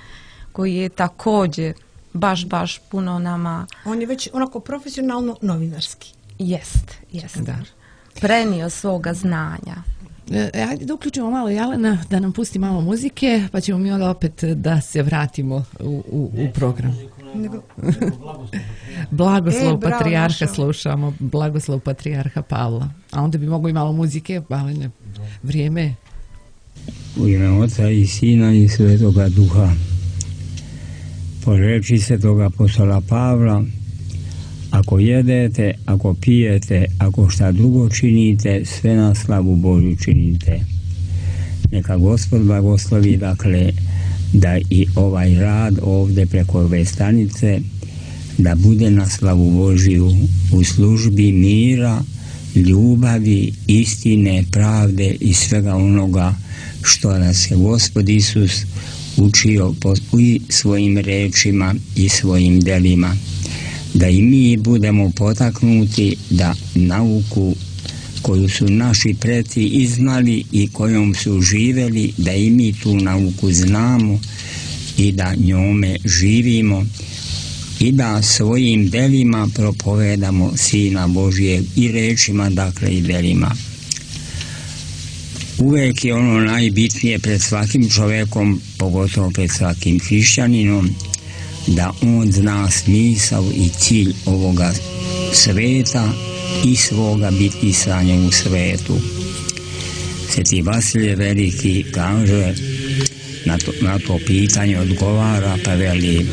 C: koji je također baš, baš puno nama...
D: On je već onako profesionalno novinarski.
C: Jest, jest. Da. Prenio svoga znanja.
B: E, ajde da uključimo malo Jelena, da nam pusti malo muzike, pa ćemo mi onda opet da se vratimo u, u, u program.
D: Nego,
B: Blagoslov
D: e, bravo,
B: patrijarha
D: našao.
B: Slušamo, blagoslov patrijarha Pavla. A onda bi moglo i malo muzike, ali ne, vrijeme.
E: U ime Oca i Sina i Svetoga Duha. Po reči Svetoga apostola Pavla, ako jedete, ako pijete, ako šta drugo činite, sve na slavu Božju činite. Neka Gospod blagoslovi, dakle, da i ovaj rad ovdje preko ove stanice, da bude na slavu Božju u službi mira, ljubavi, istine, pravde i svega onoga što nas je Gospod Isus učio i svojim rečima i svojim delima. Da i mi budemo potaknuti da nauku koju su naši preci iznali i kojom su živjeli, da i mi tu nauku znamo i da njome živimo i da svojim delima propovedamo Sina Božijeg i rečima, dakle i delima. Uvijek je ono najbitnije pred svakim čovjekom, pogotovo pred svakim hrišćaninom, da on zna smisao i cilj ovoga sveta i svoga bitisanja u svetu. Sveti Vasilije Veliki kaže, na to, na to pitanje odgovara, pa veli: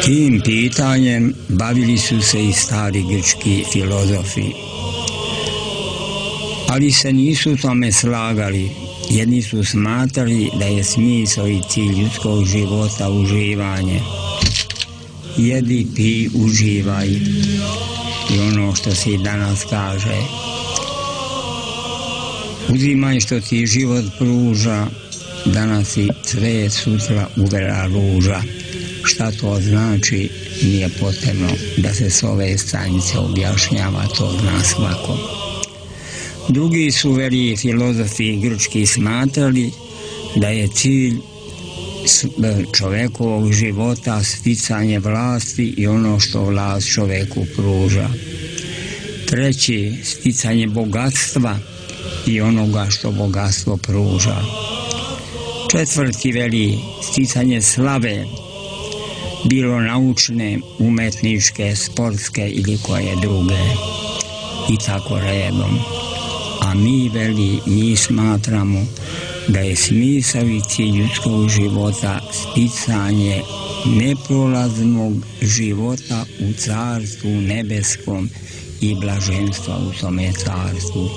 E: tim pitanjem bavili su se i stari grčki filozofi, ali se nisu tome slagali. Jedni su smatrali da je smisao i cilj ljudskog života uživanje. Jedi, pi, uživaj. I ono što se i danas kaže. Uzimaj što ti život pruža, danas i cvet, sutra uvera ruža. Šta to znači, nije potrebno da se s ove stranice objašnjava, to zna svako. Drugi su veliki filozofi grčki smatrali da je cilj čovjekovog života sticanje vlasti i ono što vlast čovjeku pruža. Treći, sticanje bogatstva i onoga što bogatstvo pruža. Četvrti veli sticanje slave, bilo naučne, umetničke, sportske ili koje druge. I tako redom. A mi veli, mi smatramo da je smisao i cilj ljudskog života sticanje neprolaznog života u carstvu nebeskom i blaženstva u tome carstvu.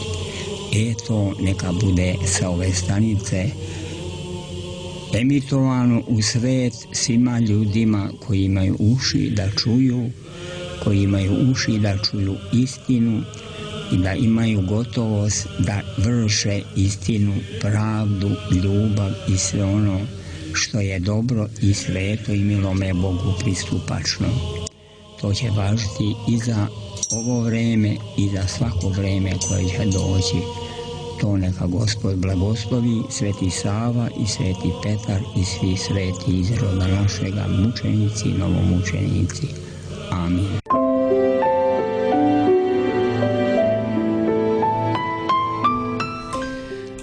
E: Eto, neka bude sa ove stanice emitovano u svet svima ljudima koji imaju uši da čuju, koji imaju uši da čuju istinu i da imaju gotovost da vrše istinu, pravdu, ljubav i sve ono što je dobro i sveto i milome Bogu pristupačno. To će važiti i za ovo vreme i za svako vreme koje će doći. To neka Gospod blagoslovi, Sveti Sava i Sveti Petar i svi sveti iz roda našega, mučenici i novomučenici. Amin.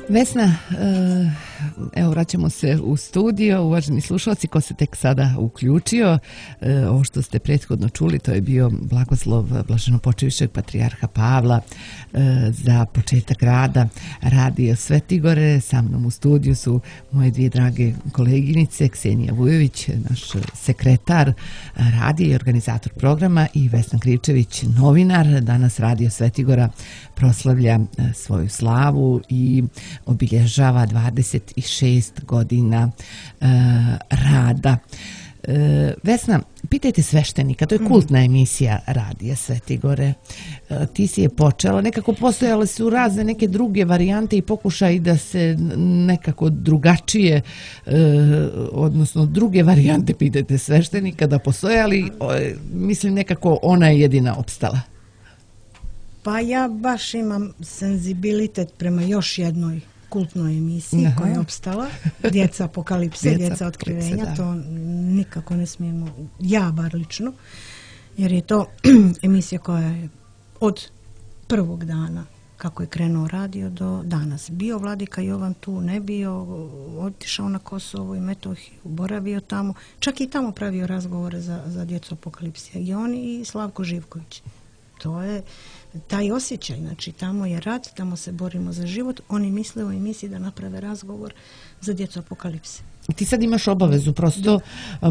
B: Vesna, evo vraćamo se u studio, uvaženi slušalci, ko se tek sada uključio, ovo što ste prethodno čuli, to je bio blagoslov blaženopočevišćeg patrijarha Pavla za početak rada Radio Svetigore. Sa mnom u studiju su moje dvije drage koleginice, Ksenija Vujović, naš sekretar radija i organizator programa, i Vesna Kričević, novinar. Danas Radio Svetigora proslavlja svoju slavu i obilježava dvadeset šest godina e, rada. E, Vesna, pitajte sveštenika, to je kultna emisija Radija Svetigore. E, ti si je počela, nekako postojale su razne neke druge varijante i pokušaj da se nekako drugačije, e, odnosno druge varijante, pitajte sveštenika da postoje, ali e, mislim nekako ona je jedina opstala.
D: Pa ja baš imam senzibilitet prema još jednoj kultnoj emisiji
B: Aha.
D: koja je opstala, Djeca apokalipse,
B: Djeca
D: Djeca otkrivenja,
B: apokalipse, da.
D: to nikako ne smijemo, ja bar lično, jer je to emisija koja je od prvog dana kako je krenuo radio do danas. Bio Vladika Jovan tu, ne bio, otišao na Kosovo i Metohiju, boravio tamo, čak i tamo pravio razgovore za, za Djecu apokalipse. I on i Slavko Živković. To je taj osjećaj, znači tamo je rat, tamo se borimo za život, oni misle o emisiji da naprave razgovor za Djecu apokalipse.
B: Ti sad imaš obavezu prosto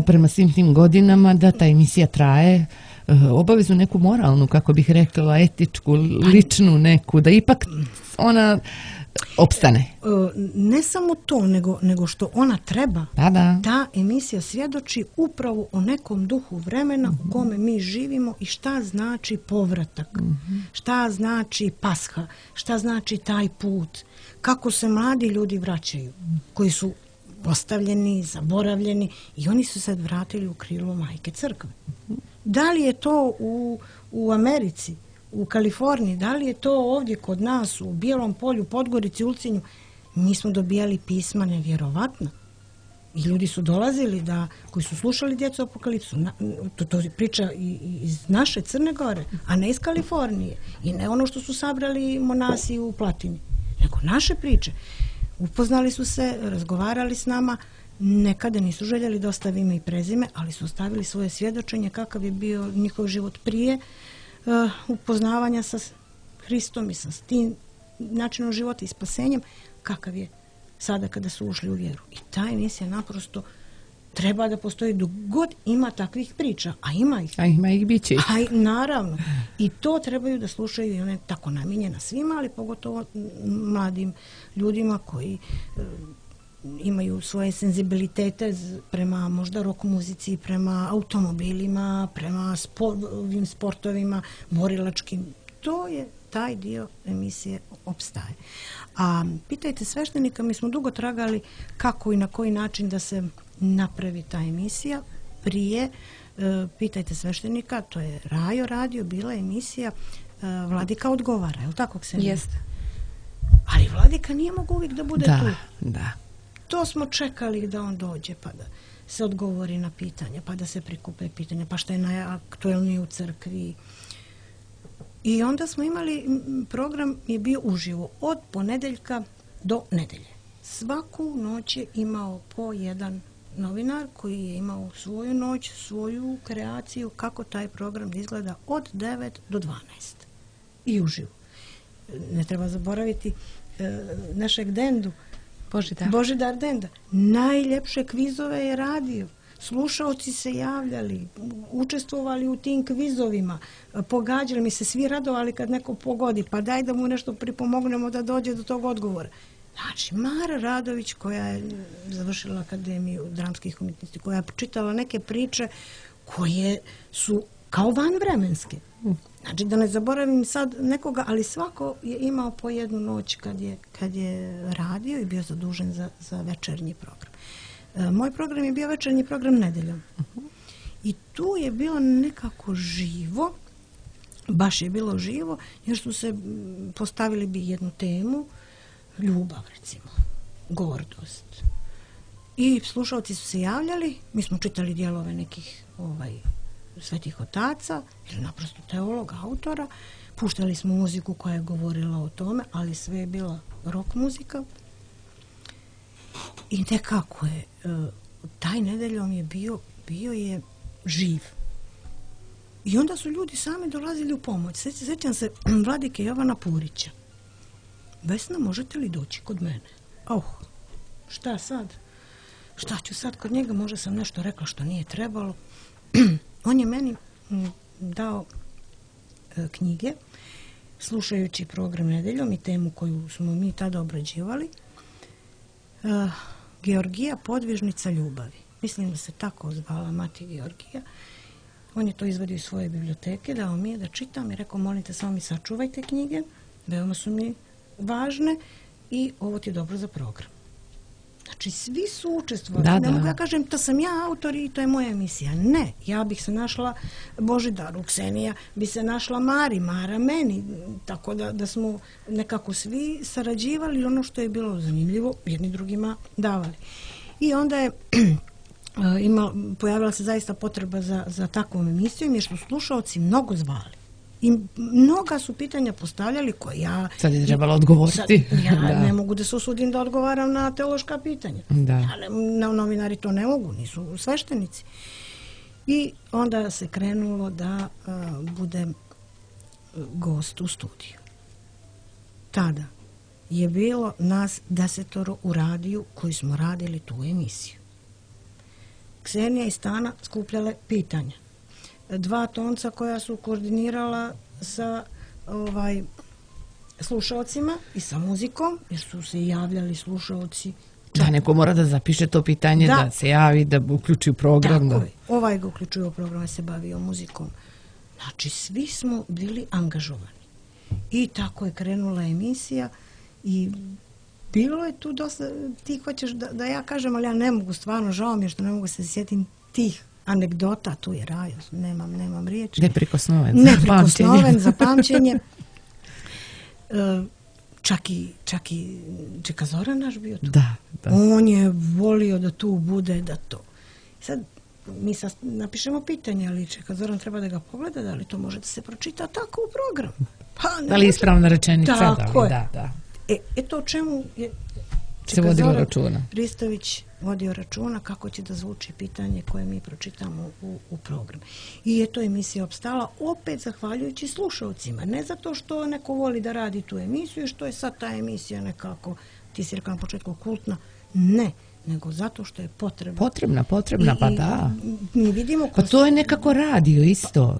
B: prema svim tim godinama da ta emisija traje, obavezu neku moralnu, kako bih rekla, etičku, ličnu neku, da ipak ona opstane.
D: Ne samo to, nego, nego što ona treba.
B: Da, da.
D: Ta emisija svjedoči upravo o nekom duhu vremena u kome mi živimo i šta znači povratak, šta znači Pasha, šta znači taj put, kako se mladi ljudi vraćaju, koji su postavljeni, zaboravljeni i oni su sad vratili u krilo Majke Crkve. Da li je to u, u Americi, u Kaliforniji, da li je to ovdje kod nas u Bijelom polju, Podgorici, Ulcinju, mi smo dobijali pisma nevjerovatna. I ljudi su dolazili da, koji su slušali Djecu apokalipsu, na, to, to priča iz naše Crne Gore, a ne iz Kalifornije. I ne ono što su sabrali monasi u Platini, nego naše priče. Upoznali su se, razgovarali s nama, nekada nisu željeli da ostave ime i prezime, ali su ostavili svoje svjedočenje kakav je bio njihov život prije uh, upoznavanja sa Hristom i sa tim načinom života i spasenjem, kakav je sada kada su ušli u vjeru. I ta emisija naprosto treba da postoji dok god ima takvih priča, a ima ih.
B: A ima ih biće.
D: A naravno. I to trebaju da slušaju i one tako namijenjena svima, ali pogotovo mladim ljudima koji uh, imaju svoje senzibilitete prema možda rock muzici, prema automobilima, prema spor, ovim sportovima, borilačkim. To je taj dio emisije opstaje. A pitajte sveštenika, mi smo dugo tragali kako i na koji način da se napravi ta emisija. Prije, e, pitajte sveštenika, to je Rajo radio, bila emisija e, Vladika odgovara, je li tako, Ksenija?
C: Jeste.
D: Ali Vladika nije mogu uvijek da bude
B: da,
D: tu.
B: Da.
D: To smo čekali da on dođe, pa da se odgovori na pitanja, pa da se prikupe pitanja, pa što je najaktuelnije u crkvi. I onda smo imali, program je bio uživo od ponedeljka do nedelje. Svaku noć je imao po jedan novinar koji je imao svoju noć, svoju kreaciju, kako taj program izgleda od devet do dvanaest. I uživo. Ne treba zaboraviti e, našeg Dendu,
C: Božidar.
D: Božidar Denda. Najljepše kvizove je radio. Slušaoci se javljali, učestvovali u tim kvizovima, pogađali, mi se svi radovali kad neko pogodi, pa daj da mu nešto pripomognemo da dođe do tog odgovora. Znači, Mara Radović, koja je završila Akademiju dramskih umjetnosti, koja je čitala neke priče koje su kao vanvremenske. Znači, da ne zaboravim sad nekoga, ali svako je imao po jednu noć kad je, kad je radio i bio zadužen za, za večernji program. E, moj program je bio večernji program nedeljom. Uh-huh. I tu je bilo nekako živo, baš je bilo živo, jer su se postavili bi jednu temu, ljubav recimo, gordost. I slušalci su se javljali, mi smo čitali dijelove nekih ovaj, svetih otaca ili naprosto teologa, autora, puštali smo muziku koja je govorila o tome, ali sve je bila rock muzika. I nekako je, taj nedeljom je bio, bio je živ. I onda su ljudi sami dolazili u pomoć. Sjećam se Vladike Jovana Purića. Vesna, možete li doći kod mene? Oh, šta sad? Šta ću sad kod njega? Možda sam nešto rekla što nije trebalo. On je meni dao e, knjige, slušajući program nedeljom i temu koju smo mi tada obrađivali. E, Georgija, podvižnica ljubavi. mislim da se tako zvala Mati Georgija. On je to izvadio iz svoje biblioteke, dao mi je da čitam i rekao, molim te, samo mi sačuvajte knjige, veoma su mi važne i ovo ti je dobro za program. Znači, svi su učestvovali.
B: Da,
D: ne
B: da.
D: mogu ja kažem, to sam ja autor i to je moja emisija. Ne, ja bih se našla Božidaru, Ksenija bi se našla Mari, Mara meni. Tako da, da smo nekako svi sarađivali, ono što je bilo zanimljivo, jedni drugima davali. I onda je ima, pojavila se zaista potreba za, za takvom emisijom, jer su slušaoci mnogo zvali. I mnoga su pitanja postavljali koje ja...
B: Sad je trebalo odgovoriti.
D: Sad, ja da. ne mogu da se usudim da odgovaram na teološka pitanja.
B: Da.
D: Ja ne, na, novinari to ne mogu, nisu sveštenici. I onda se krenulo da a, budem gost u studiju. Tada je bilo nas desetoro u radiju koji smo radili tu emisiju. Ksenija i Stana skupljale pitanja. Dva tonca koja su koordinirala sa ovaj, slušaocima i sa muzikom, jer su se javljali slušaoci.
B: Da, neko mora da zapiše to pitanje, da, da se javi, da uključi u program.
D: Tako
B: da.
D: je. Ovaj ga uključuje u program, se bavio muzikom. Znači, svi smo bili angažovani. I tako je krenula emisija i bilo je tu dosta, ti hoćeš da, da ja kažem, ali ja ne mogu, stvarno, žao mi je što ne mogu se sjetim tih anegdota, tu je raj, nemam, nemam riječi.
B: Neprikosnoven za
D: Neprikosnoven za pamćenje. Čak i, čak i Čeka Zoran naš bio tu.
B: Da, da.
D: On je volio da tu bude, da to. Sad, mi sad napišemo pitanje, ali Čeka Zoran treba da ga pogleda, da li to može da se pročita tako u programu. Pa,
B: da li je ispravna rečenica?
D: Tako
B: da,
D: je.
B: Da, da.
D: E, e to čemu je
B: se vodilo računa.
D: Ristović vodio računa kako će da zvuči pitanje koje mi pročitamo u, u program. I je to emisija opstala opet zahvaljujući slušalcima. Ne zato što neko voli da radi tu emisiju i što je sad ta emisija nekako, ti si rekao na početku, kultna. Ne, nego zato što je potrebna.
B: Potrebna, potrebna,
D: I,
B: pa da.
D: Mi vidimo...
B: Pa to je nekako radio isto.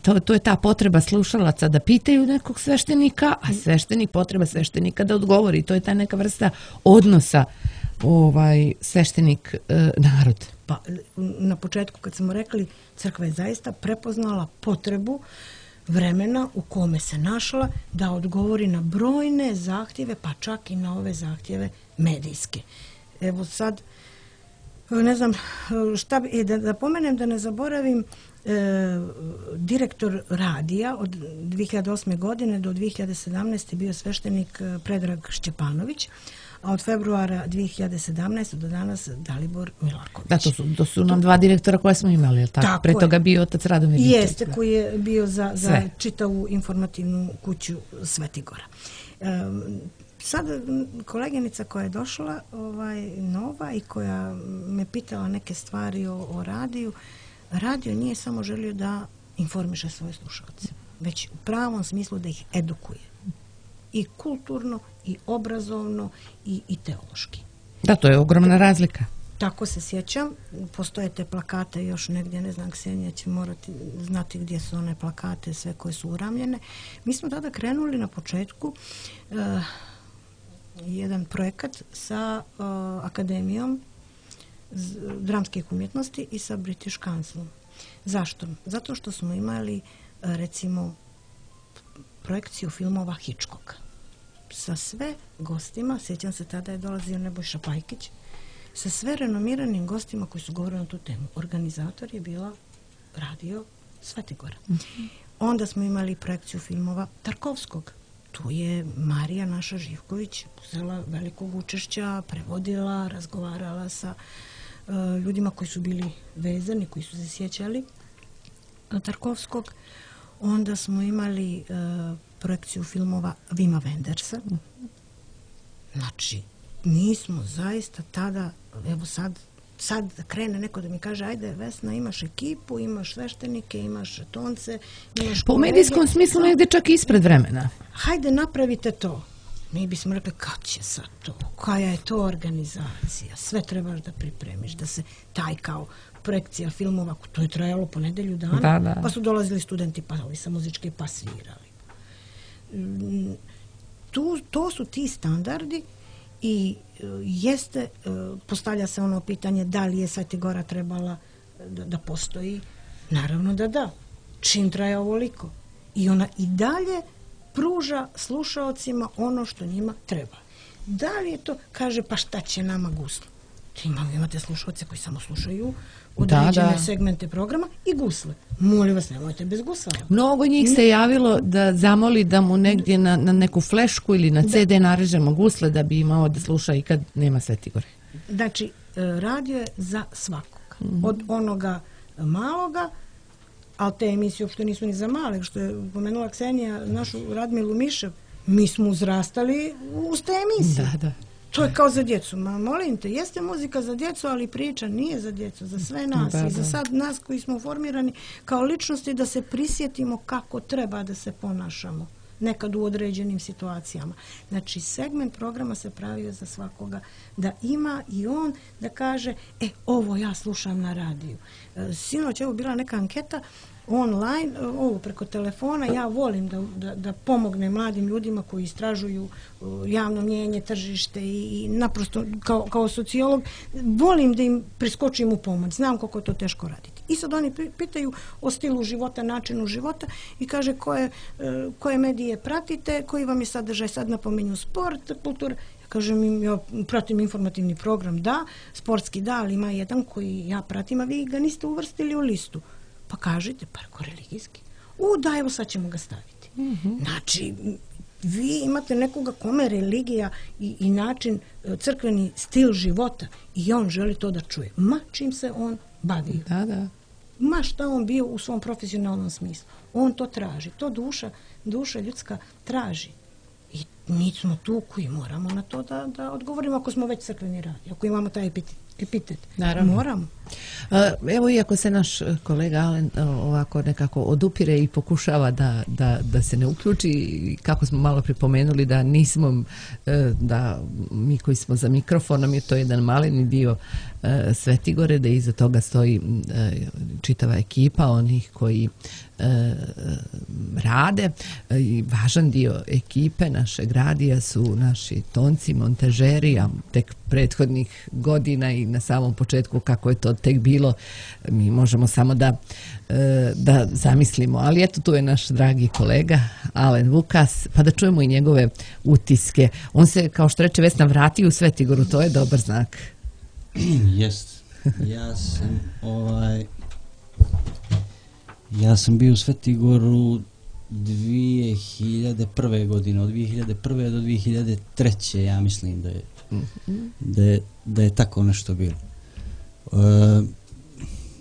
B: To, to je ta potreba slušalaca da pitaju nekog sveštenika, a sveštenik, potreba sveštenika da odgovori. To je ta neka vrsta odnosa ovaj sveštenik e, narod.
D: Pa na početku kad smo rekli, crkva je zaista prepoznala potrebu vremena u kome se našla da odgovori na brojne zahtjeve, pa čak i na ove zahtjeve medijske. Evo sad, ne znam, šta bi, e, da, da pomenem, da ne zaboravim, e, direktor radija od dvije hiljade osme. godine do dvije hiljade sedamnaeste. bio sveštenik Predrag Šćepanović, a od februara dvije hiljade sedamnaeste. do danas Dalibor Milaković.
B: Da, to su, to su nam dva direktora koje smo imali, je li tako?
D: Tako
B: Pre toga
D: je.
B: bio otac Radomir Ničić.
D: Jeste, koji je bio za, za čitavu informativnu kuću Svetigora. Um, Sad koleginica koja je došla, ovaj, nova, i koja me pitala neke stvari o, o radiju, radio nije samo želio da informiše svoje slušalce, već u pravom smislu da ih edukuje. I kulturno, i obrazovno, i, i teološki.
B: Da, to je ogromna razlika.
D: Tako se sjećam, postoje te plakate još negdje, ne znam, Ksenija će morati znati gdje su one plakate, sve koje su uramljene. Mi smo tada krenuli na početku uh, jedan projekat sa uh, Akademijom dramskih umjetnosti i sa British Councilom. Zašto? Zato što smo imali, uh, recimo, projekciju filmova Hitchcocka. Sa sve gostima, sjećam se, tada je dolazio Nebojša Pajkić, sa sve renomiranim gostima koji su govorili na tu temu. Organizator je bila radio Svetigora. Mm-hmm. Onda smo imali projekciju filmova Tarkovskog. Tu je Marija naša Živković uzela velikog učešća, prevodila, razgovarala sa uh, ljudima koji su bili vezani, koji su se sjećali Tarkovskog. Onda smo imali uh, projekciju filmova Vima Wendersa. Znači, mi smo zaista tada, evo sad, sad krene neko da mi kaže, ajde Vesna, imaš ekipu, imaš sveštenike, imaš tonce, imaš
B: po
D: kolege.
B: medijskom smislu negdje čak ispred vremena.
D: Hajde, napravite to. Mi bismo rekli, kad će sad to? Koja je to organizacija? Sve trebaš da pripremiš, da se taj kao projekcija filmova, to je trajalo po nedelju dana,
B: da, da.
D: Pa su dolazili studenti, pa ovi sa muzičke, pa svirali. Tu, to su ti standardi i jeste, postavlja se ono pitanje da li je Sveti Gora trebala da, da postoji. Naravno da da. Čim traje ovoliko. I ona i dalje pruža slušaocima ono što njima treba. Da li je to, kaže, pa šta će nama gusle? Imate slušaoce koji samo slušaju određene da, da. segmente programa i gusle. Molim vas, nemojte bez gusla.
B: Mnogo njih se javilo da zamoli da mu negdje na, na neku flešku ili na ce de narežemo gusle da bi imao da sluša i kad nema Sveti Gore.
D: Znači, radio je za svakoga. Mm-hmm. Od onoga maloga, ali te emisije uopšte nisu ni za male, što je pomenula Ksenija, našu Radmilu Mišev, mi smo uzrastali uz te emisije.
B: Da, da.
D: To je kao za djecu. Ma molim te, jeste muzika za djecu, ali priča nije za djecu, za sve nas. Da, da. I za sad nas koji smo formirani kao ličnosti da se prisjetimo kako treba da se ponašamo nekad u određenim situacijama. Znači, segment programa se pravio za svakoga da ima i on da kaže, e, ovo ja slušam na radiju. Sinoć je bila neka anketa online, ovo preko telefona, ja volim da, da, da pomogne mladim ljudima koji istražuju javno mnjenje, tržište i, i naprosto kao, kao sociolog volim da im priskočim u pomoć, znam koliko je to teško raditi. I sad oni pitaju o stilu života, načinu života i kaže koje, koje medije pratite, koji vam je sadržaj, sad napominju sport, kultura. Ja kažem im, ja pratim informativni program, da, sportski da, ali ima jedan koji ja pratim, a vi ga niste uvrstili u listu. Pa kažete, pa ako religijski. U, da, evo sad ćemo ga staviti. Mm-hmm. Znači, vi imate nekoga kome religija i, i način, crkveni stil života i on želi to da čuje. Ma čim se on bavio.
B: Da, da.
D: Ma šta on bio u svom profesionalnom smislu. On to traži. To duša, duša ljudska traži. I mi smo tu koji moramo na to da, da odgovorimo ako smo već crkveni radi. Ako imamo taj epitet. epitet.
B: Naravno.
D: Moramo.
B: Evo, iako se naš kolega Alen ovako nekako odupire i pokušava da, da, da se ne uključi, kako smo malo pripomenuli da nismo, da mi koji smo za mikrofonom, je to jedan maleni dio Sveti Gore, da iza toga stoji čitava ekipa onih koji rade. I važan dio ekipe našeg radija su naši tonci, montažeri, a tek prethodnih godina i na samom početku kako je to tek bilo, mi možemo samo da, da zamislimo. Ali eto, tu je naš dragi kolega Alen Vukas, pa da čujemo i njegove utiske. On se, kao što reče Vesna, vratio u Sveti Goru, to je dobar znak.
F: Jest. Ja sam ovaj ja sam bio u Sveti Goru dvije hiljade prve godine, od dvije hiljade prve do dvije hiljade treće, ja mislim da je, mm-hmm. da je, da je tako nešto bilo. Uh,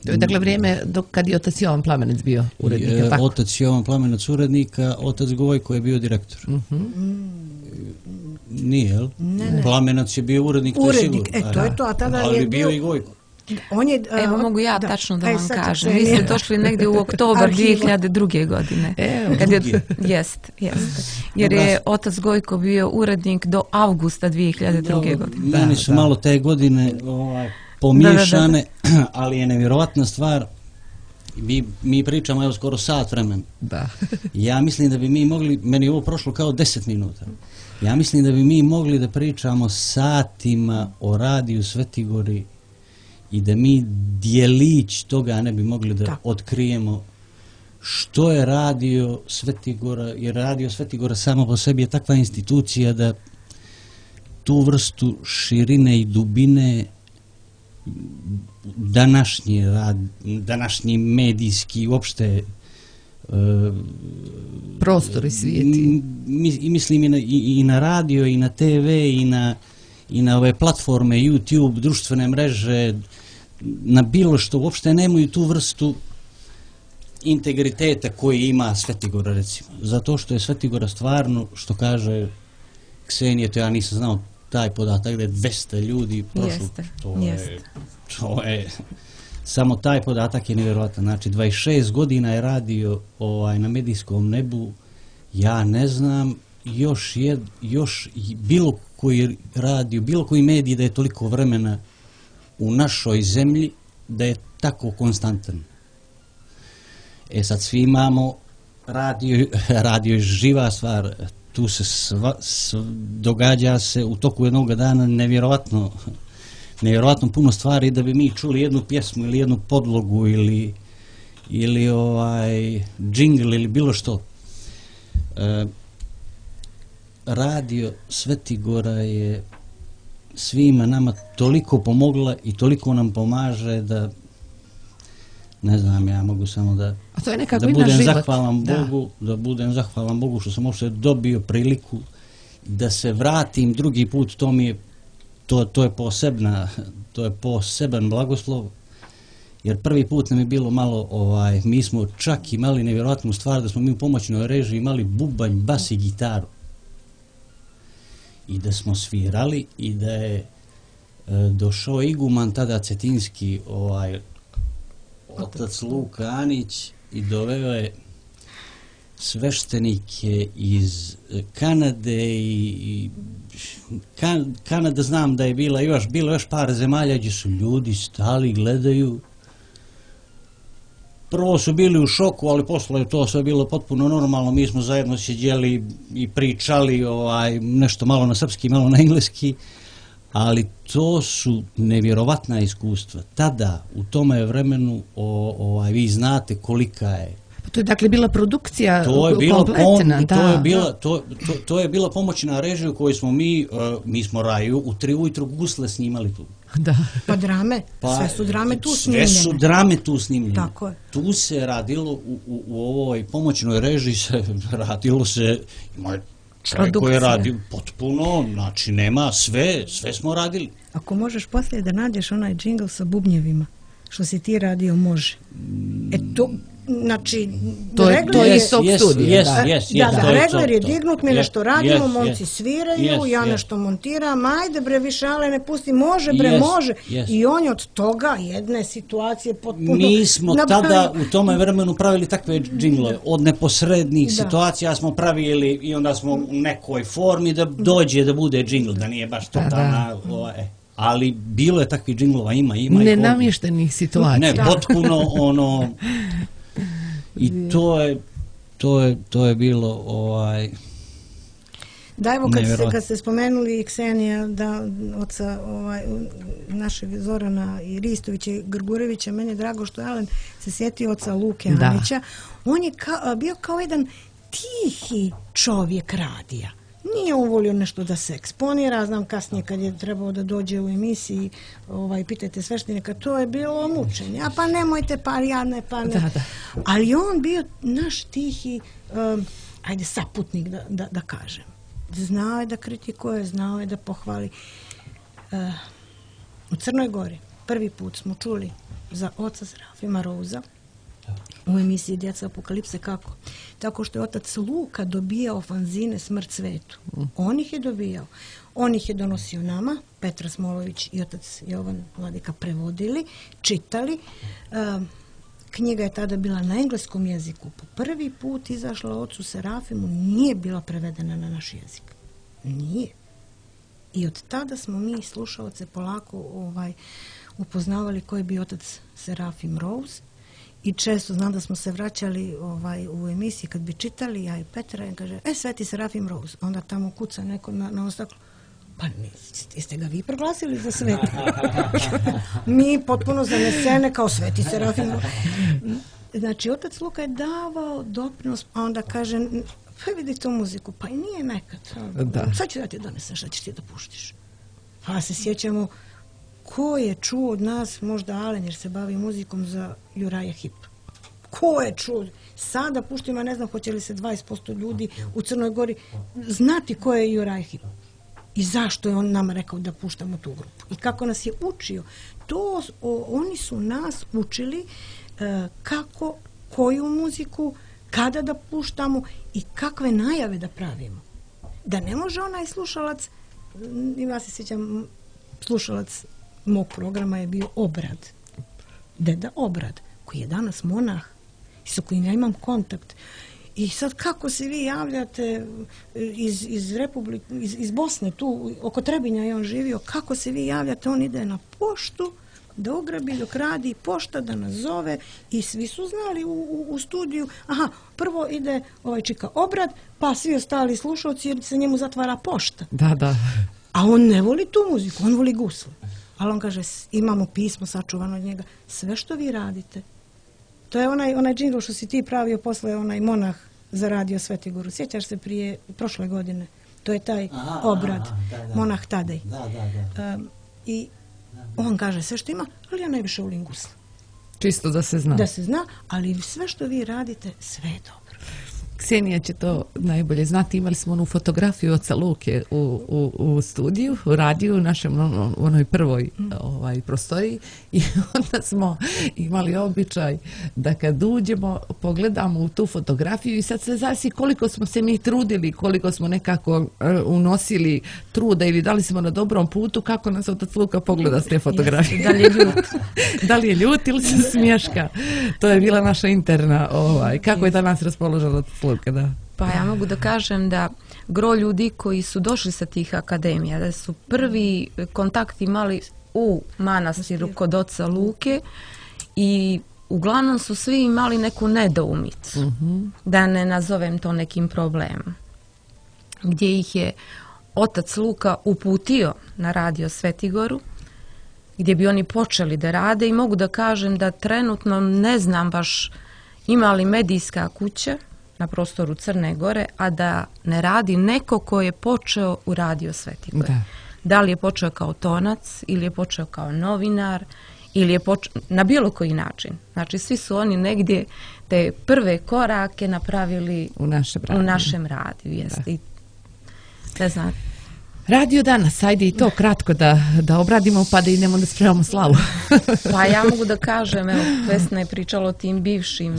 B: to je dakle vrijeme dok kad je otac Jovan Plamenec bio urednik, je tako?
F: Otac Jovan Plamenec urednika, otac Gojko je bio direktor. Mm-hmm. Nije, jel?
D: Ne, ne.
F: Plamenac je bio urednik,
D: urednik,
F: to je sigurno.
D: E, to je to, a tada
F: ali
D: je
F: bio
D: bio
F: i Gojko.
C: On je, uh, Evo mogu ja da, tačno da aj, vam kažem. Vi ste došli negdje u oktobar dvije hiljade druge. godine.
F: Evo,
C: kad je, jest, jest. Jer je otac Gojko bio urednik do avgusta dvije hiljade druge. godine.
F: Meni su da, malo te godine ovaj, pomiješane, da, da, da. Ali je nevjerovatna stvar. Mi, mi pričamo evo skoro sat vremena.
B: Da.
F: Ja mislim da bi mi mogli, meni je ovo prošlo kao deset minuta. Ja mislim da bi mi mogli da pričamo satima o radiju Sveti Gori i da mi dijelić toga ne bi mogli da, da. otkrijemo što je radio Sveti Gora, jer radio Sveti Gora samo po sebi je takva institucija da tu vrstu širine i dubine današnji rad, današnji medijski uopšte uh,
B: prostori svijeti.
F: I mislim i na, i, i na radio, i na te ve, i na, i na ove platforme, YouTube, društvene mreže, na bilo što, uopšte nemaju tu vrstu integriteta koji ima Sveti Gora, recimo. Zato što je Sveti Gora stvarno, što kaže Ksenija, to ja nisam znao taj podatak, da je dvesta ljudi prošlo.
C: Jeste,
F: to
C: jeste.
F: Je, to je, samo taj podatak je nevjerojatan. Znači, dvadeset šest godina je radio ovaj, na medijskom nebu, ja ne znam još, jed, još bilo koji radio, bilo koji medij da je toliko vremena u našoj zemlji da je tako konstantan. E sad svi imamo radio, radio je živa stvar, tu se sva, s, događa se u toku jednog dana nevjerovatno, nevjerovatno puno stvari da bi mi čuli jednu pjesmu ili jednu podlogu ili, ili ovaj džingl ili bilo što. E, radio Svetigora je svima nama toliko pomogla i toliko nam pomaže da ne znam, ja mogu samo da
B: A to je nekako
F: da
B: i naš
F: budem
B: život.
F: zahvalan
B: Da.
F: Bogu, da budem zahvalan Bogu što sam uopšte dobio priliku da se vratim drugi put, to mi je to, to je posebna to je poseban blagoslov, jer prvi put nam je bilo malo ovaj, mi smo čak imali nevjerojatnu stvar da smo mi u pomoćnoj režiji imali bubanj, bas i gitaru i da smo svirali i da je e, došao iguman tada cetinski ovaj otac Luka Anić i doveo je sveštenike iz Kanade i, i kan, Kanada znam da je bila još bilo još par zemalja gdje su ljudi stali, gledaju. Prvo su bili u šoku, ali posle je to sve bilo potpuno normalno. Mi smo zajedno sjedjeli i pričali ovaj, nešto malo na srpski, malo na engleski, ali to su nevjerovatna iskustva. Tada, u tome vremenu, o, ovaj, vi znate kolika je.
B: To je dakle bila produkcija
F: To je bilo
B: kompletna,
F: pom,
B: da.
F: to je bila to, to, to je bila pomoćna režija u kojoj smo mi uh, mi smo Raju u tri ujutru gusle snimali tu.
B: Da.
D: Pa drame,
F: Pa,
D: sve su drame tu
F: sve
D: snimljene.
F: su drame tu snimljene.
D: Tako je.
F: Tu se radilo u, u, u ovoj pomoćnoj režiji se radilo se ima čovjek koji je radio potpuno, znači nema sve, sve smo radili.
D: Ako možeš poslije da nađeš onaj džingl sa bubnjevima, što si ti radio, može. E to, znači,
B: To je-
D: regler
B: to je
D: je-
B: iz tog
F: Yes,
B: studija,
F: yes,
B: da.
F: yes,
D: Da,
F: yes,
D: da,
F: to je
D: regler
F: to,
D: je
F: to.
D: dignut, mi
F: Yes,
D: nešto radimo,
F: yes,
D: momci
F: yes.
D: sviraju,
F: Yes,
D: ja
F: yes.
D: nešto montiram, ajde bre, više ale ne pusti, može bre,
F: Yes,
D: može.
F: yes.
D: I on je od toga jedne situacije potpuno...
F: Mi smo
D: napravio-
F: tada u tome vremenu pravili takve džinglove. Od neposrednih
D: Da.
F: situacija smo pravili i onda smo u nekoj formi da dođe da bude džingl, da nije baš totalna... Ovaj, ali bilo je takvih džinglova, ima, ima. ih ovdje.
B: Nenamještenih situacija.
F: Ne, potpuno ono... I to je, to je, to je bilo ovaj...
D: Da, evo kad ste,
F: Nevjerojatno.
D: kad ste spomenuli Ksenija, da oca ovaj, našeg Zorana i Ristovića i Grgurevića, meni je drago što Alen se sjetio oca Luke
B: Da.
D: Anića. On je ka, bio kao jedan tihi čovjek radija. Nije on volio nešto da se eksponira, znam kasnije kad je trebao da dođe u emisiji, ovaj, pitajte sveštenika, to je bilo mučenje, a pa nemojte, pa ja ne, pa ne.
B: Da, da.
D: Ali on bio naš tihi, um, ajde, saputnik da, da, da kažem. Znao je da kritikuje, znao je da pohvali. Uh, u Crnoj Gori prvi put smo čuli za oca Serafima Rouza u emisiji Djeca apokalipse. Kako? Tako što je otac Luka dobijao fanzine Smrt svetu. On ih je dobijao. On ih je donosio nama, Petra Smolović i otac Jovan Vladika prevodili, čitali. Uh, knjiga je tada bila na engleskom jeziku. Po prvi put izašla ocu Serafimu, nije bila prevedena na naš jezik. Nije. I od tada smo mi slušaoce polako ovaj, upoznavali koji je bio otac Serafim Rose. I često znam da smo se vraćali ovaj, u emisiji kad bi čitali, ja i Petra, i kaže, e, Sveti Serafim Rose. Onda tamo kuca neko na, na ostaklu. Pa niste, jeste ga vi proglasili za sveti? Mi potpuno zanesene kao Sveti Serafim Rose. Znači, otac Luka je davao doprinos, a onda kaže, pa vidi tu muziku, pa i nije nekad.
B: Da.
D: Sad ću da ti donesem, šta ćeš ti da puštiš? Pa se sjećamo, ko je čuo od nas, možda Alen, jer se bavi muzikom, za Juraja Hip? Ko je čuo? Sada puštimo, ja ne znam hoće li se dvadeset posto ljudi u Crnoj Gori znati ko je Juraj Hip. I zašto je on nama rekao da puštamo tu grupu. I kako nas je učio. To, o, oni su nas učili e, kako, koju muziku, kada da puštamo i kakve najave da pravimo. Da ne može onaj slušalac, ja se sjećam, slušalac mog programa je bio Obrad. Deda Obrad, koji je danas monah i sa kojim ja imam kontakt. I sad kako se vi javljate iz, iz, Republik, iz, iz Bosne, tu oko Trebinja je on živio, kako se vi javljate, on ide na poštu, da ugrabi dok radi pošta, da nas zove i svi su znali u, u, u studiju, aha, prvo ide ovaj čika obrad, pa svi ostali slušalci jer se njemu zatvara pošta.
B: Da, da.
D: A on ne voli tu muziku, on voli gusle. Ali on kaže, imamo pismo sačuvano od njega, sve što vi radite. To je onaj, onaj džingl što si ti pravio posle, onaj monah za radio Svetigoru. Sjećaš se prije, prošle godine? To je taj aha, obrad, aha, da, da. Monah Tadej.
F: Da, da, da.
D: Um, I on kaže sve što ima, ali ja najviše volim gusle.
B: Čisto da se zna.
D: Da se zna, ali sve što vi radite, sve je dobro.
B: Ksenija će to najbolje znati. Imali smo onu fotografiju oca Luke u, u, u studiju, u radiju, u našem on, u onoj prvoj mm. ovaj, prostoriji i onda smo imali običaj da kad uđemo pogledamo u tu fotografiju i sad sve zavisi koliko smo se mi trudili, koliko smo nekako uh, unosili truda ili da li smo na dobrom putu, kako nas otac Luka pogleda s te fotografije.
C: Jeste, da li je ljut?
B: Da li je ljut ili se smješka? To je bila naša interna, ovaj, kako je danas raspoložen otac Luka? Da.
C: Pa ja mogu da kažem da gro ljudi koji su došli sa tih akademija, da su prvi kontakt imali u manastiru kod oca Luke i uglavnom su svi imali neku nedoumicu, mm-hmm. da ne nazovem to nekim problemom, gdje ih je otac Luka uputio na radio Svetigoru, gdje bi oni počeli da rade i mogu da kažem da trenutno ne znam baš ima li medijska kuća na prostoru Crne Gore, a da ne radi neko ko je počeo u radio Svetigore. Da. Da li je počeo kao tonac, ili je počeo kao novinar, ili je počeo na bilo koji način. Znači, svi su oni negdje te prve korake napravili
B: u našem radiju.
C: U našem radiju, jeste. I, ne znam.
B: Radio danas, ajde i to kratko da, da obradimo pa da idemo da spremamo slavu.
C: Pa ja mogu da kažem, evo, Vesna je pričala o tim bivšim,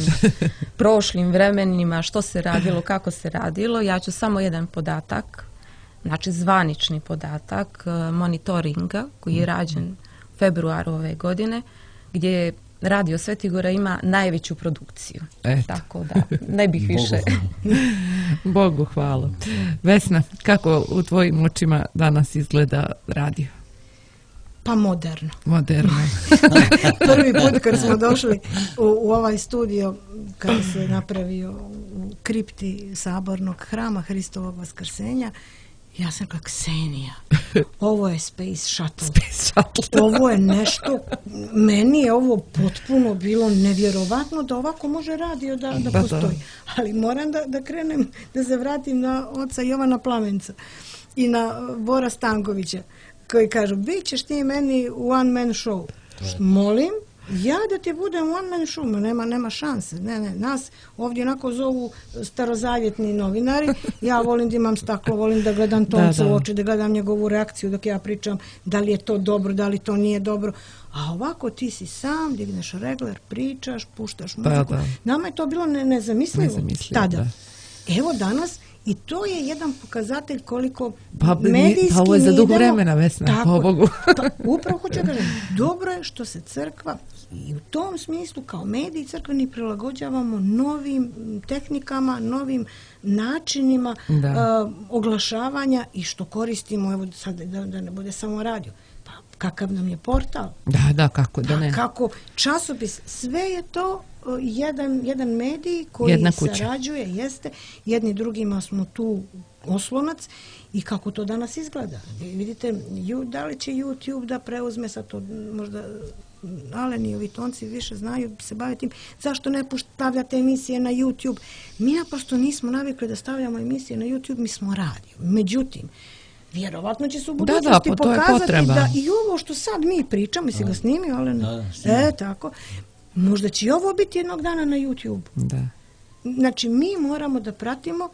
C: prošlim vremenima, što se radilo, kako se radilo. Ja ću samo jedan podatak, znači zvanični podatak monitoringa koji je rađen u februaru ove godine, gdje Radio Svetigora ima najveću produkciju.
B: Eto.
C: Tako da ne bih više.
B: Bogu hvala. Vesna, kako u tvojim očima danas izgleda radio?
D: Pa moderno.
B: Moderno.
D: Prvi put kad smo došli u, u ovaj studio, kada se napravio u kripti sabornog hrama Hristovog vaskrsenja, ja sam kao Ksenija, ovo je Space Shuttle.
B: Space Shuttle.
D: Ovo je nešto, meni je ovo potpuno bilo nevjerovatno da ovako može radio da, da postoji. Ali moram da, da krenem, da se vratim na oca Jovana Plamenca i na Bora Stankovića, koji kažu, bit ćeš ti meni one man show. Molim, ja da ti budem one man show, nema, nema šanse. Ne, ne, nas ovdje onako zovu starozavjetni novinari. Ja volim da imam staklo, volim da gledam tonca u oči, da gledam njegovu reakciju dok ja pričam da li je to dobro, da li to nije dobro. A ovako ti si sam, digneš regler, pričaš, puštaš muziku. Da, da. Nama je to bilo ne, nezamislivo, nezamislivo tada. Da. Evo danas, i to je jedan pokazatelj koliko
B: pa,
D: medijski
B: pa ovo je za dugo vremena, Vesna,
D: tako,
B: po Bogu.
D: Pa, upravo hoću da kažem, dobro je što se crkva i u tom smislu kao mediji crkveni prilagođavamo novim tehnikama, novim načinima uh, oglašavanja i što koristimo, evo sad da, da ne bude samo radio. Pa kakav nam je portal?
B: Da, da, kako da ne.
D: Pa, kako časopis, sve je to jedan, jedan medij koji sarađuje, jeste, jedni drugima smo tu oslonac i kako to danas izgleda. Vidite, da li će YouTube da preuzme sad to, možda Alen i ovi tonci više znaju, se bave tim, zašto ne stavljate emisije na YouTube? Mi naprosto nismo navikli da stavljamo emisije na YouTube, mi smo radio. Međutim, vjerovatno će se u budućnosti da, da, pokazati da i ovo što sad mi pričamo, si ga snimio, Alen? Da, e, tako. Možda će i ovo biti jednog dana na YouTube.
B: Da.
D: Znači, mi moramo da pratimo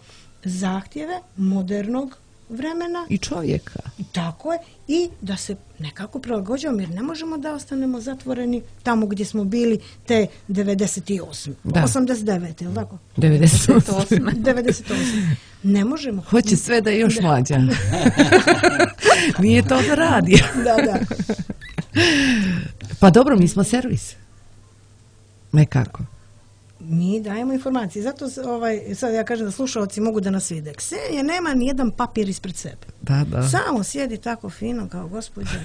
D: zahtjeve modernog vremena.
B: I čovjeka.
D: Tako je. I da se nekako prilagođavamo, jer ne možemo da ostanemo zatvoreni tamo gdje smo bili te devedeset osme. Da. osamdeset devete, je li tako?
B: devedeset osme.
D: devedeset osme. Ne možemo.
B: Hoće sve da je još da. Mlađa. Nije to da radi.
D: Da, da.
B: Pa dobro, mi smo servis. Nekako.
D: mi dajemo informacije. Zato ovaj, sad ja kažem da slušalci mogu da nas vide. Ksenija nema ni jedan papir ispred sebe.
B: Da, da.
D: Samo sjedi tako fino kao gospođa.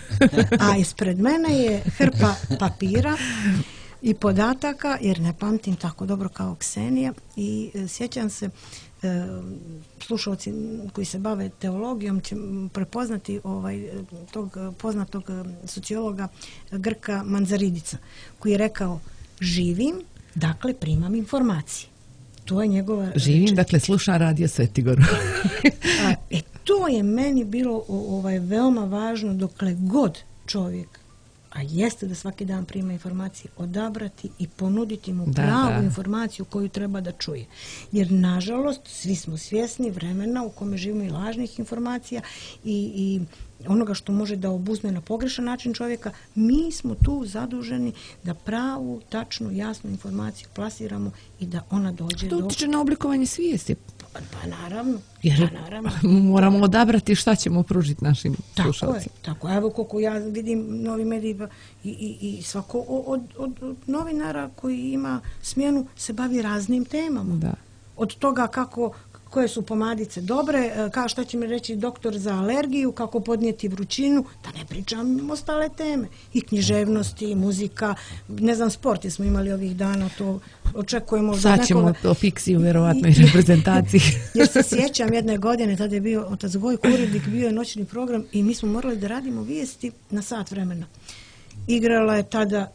D: A ispred mene je hrpa papira i podataka, jer ne pamtim tako dobro kao Ksenija. I e, sjećam se, e, slušalci koji se bave teologijom će prepoznati ovaj, tog poznatog sociologa Grka Manzaridica, koji je rekao: živim, dakle primam informacije. To je njegova...
B: Živim,
D: reč.
B: dakle slušam Radio Svetigoru.
D: A, e, to je meni bilo ovaj, veoma važno dokle god čovjek, a jeste da svaki dan prima informacije, odabrati i ponuditi mu
B: Da,
D: pravu
B: da.
D: informaciju koju treba da čuje. Jer, nažalost, svi smo svjesni vremena u kome živimo i lažnih informacija i, i onoga što može da obuzme na pogrešan način čovjeka. Mi smo tu zaduženi da pravu, tačnu, jasnu informaciju plasiramo i da ona dođe
B: To
D: do...
B: utiče na oblikovanje svijesti.
D: Pa, pa naravno,
B: Jer
D: pa naravno.
B: moramo odabrati šta ćemo pružiti našim
D: Tako je,
B: slušalcima.
D: tako. Evo koliko ja vidim novi mediji i, i, i svako od, od, od novinara koji ima smjenu se bavi raznim temama.
B: Da.
D: Od toga kako, koje su pomadice dobre, kao što će mi reći doktor za alergiju, kako podnijeti vrućinu, da ne pričam ostale teme. I književnosti, i muzika, ne znam, sport, jer smo imali ovih dana, to očekujemo od
B: Sad ćemo
D: nekoga.
B: o Pixiju, vjerovatno, i reprezentaciji.
D: Jer se sjećam jedne godine, tada je bio otac Gojko urednik, bio je noćni program i mi smo morali da radimo vijesti na sat vremena. Igrala je tada,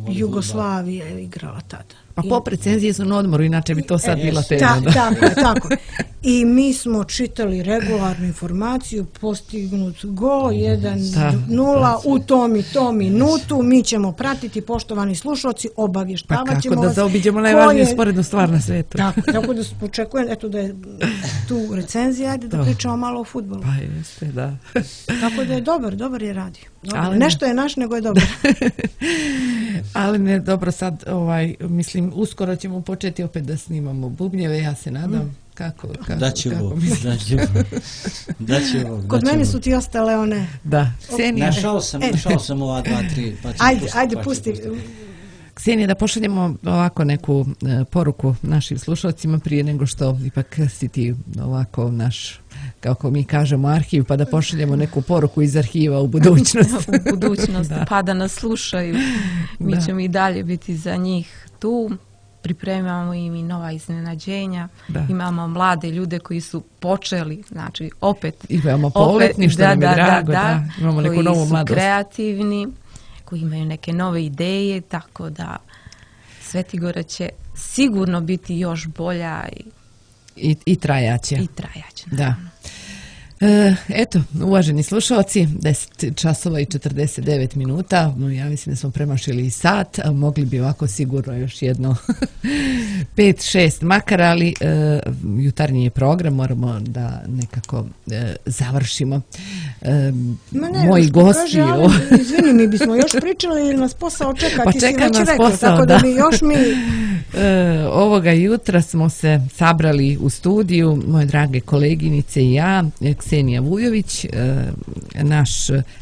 D: Jugoslavija je igrala tada.
B: Pa pop recenzije su na odmoru, inače bi to sad bila tema.
D: Ta,
B: da.
D: tako je, tako je. I mi smo čitali regularnu informaciju, postignut go, jedan nula u tom i tom minutu, mi ćemo pratiti, poštovani slušalci,
B: Pa
D: obavještavat ćemo
B: kako da
D: vas
B: zaobiđemo
D: ko
B: najvažniju
D: je-
B: sporednu stvar na svijetu.
D: Tako, tako da očekujem, eto da je tu recenzija, ajde da
B: Da.
D: pričamo malo o fudbalu.
B: Pa jeste, da.
D: Tako da je dobar, dobar je radio. Dobar.
B: Ali ne.
D: Nešto je naš, nego je dobar.
B: Ali ne, dobro, sad, ovaj, mislim, uskoro ćemo početi opet da snimamo bubnjeve, ja se nadam. Kako, kako,
F: Da će
B: kako
F: ovo,
B: misliš?
F: da će ovo, da će ovo.
D: Kod
F: da će
D: mene
F: ovo.
D: su ti ostale one...
B: Da, Ksenija,
F: Našao sam,
D: E.
F: našao sam ova dva, tri, pa ću
D: Ajde,
F: pustiti,
D: ajde,
F: pa ću
D: pusti.
F: pustiti.
B: Ksenija, da pošaljemo ovako neku e, poruku našim slušalcima prije nego što ipak si ti ovako naš, kako mi kažemo, arhiv, pa da pošaljemo neku poruku iz arhiva u budućnost.
C: u budućnosti,
B: Da.
C: pa da nas slušaju. Mi
B: Da.
C: ćemo i dalje biti za njih tu. Pripremamo im i nova iznenađenja.
B: Da.
C: Imamo mlade ljude koji su počeli, znači opet...
B: I veoma
C: opet-
B: poletni, što nam je drago, da, imamo neku
C: koji
B: novu
C: su
B: mladost.
C: kreativni, koji imaju neke nove ideje, tako da Svetigora će sigurno biti još bolja i,
B: I, i trajaće.
C: i trajaća.
B: Da. E, eto, uvaženi slušalci, deset časova i četrdeset devet minuta, no, ja mislim da smo premašili i sat, a mogli bi ovako sigurno još jedno pet šest makar, ali e, jutarnji je program, moramo da nekako e, završimo. E,
D: Ma ne,
B: moji
D: što
B: gosti...
D: kaže, ali, izvini, mi bismo još pričali jer nas posao čeka,
B: Pa
D: ti si
B: čeka
D: već
B: nas
D: rekao,
B: posao,
D: tako da
B: da.
D: bi još mi...
B: E, ovoga jutra smo se sabrali u studiju, moje drage koleginice i ja, Ksenija Vujović, e, naš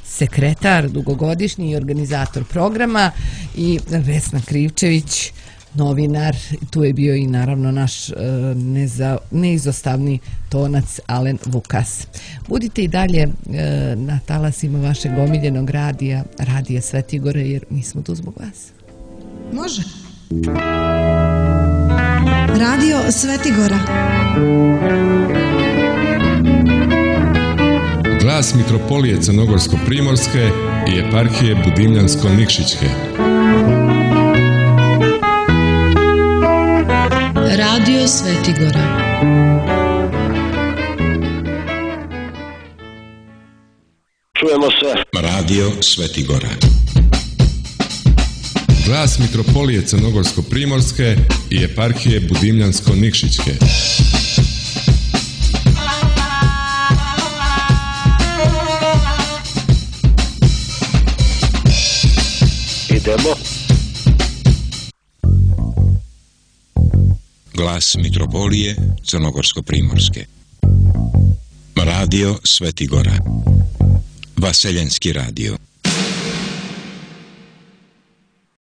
B: sekretar, dugogodišnji organizator programa, i Vesna Krivčević, novinar. Tu je bio i naravno naš e, neza, neizostavni tonac Alen Vukas. Budite i dalje e, na talasima vašeg omiljenog radija, Radija Svetigore, jer mi smo tu zbog vas.
D: Može. Radio Svetigora.
G: Glas Mitropolije Crnogorsko-Primorske i eparhije Budimljansko-Nikšićke.
H: Radio Svetigora.
I: Čujemo se.
G: Radio Svetigora. Glas Mitropolije Crnogorsko-Primorske i eparhije Budimljansko-Nikšićke.
I: Idemo.
J: Glas Mitropolije Crnogorsko-Primorske. Radio Svetigora. Vaseljenski radio.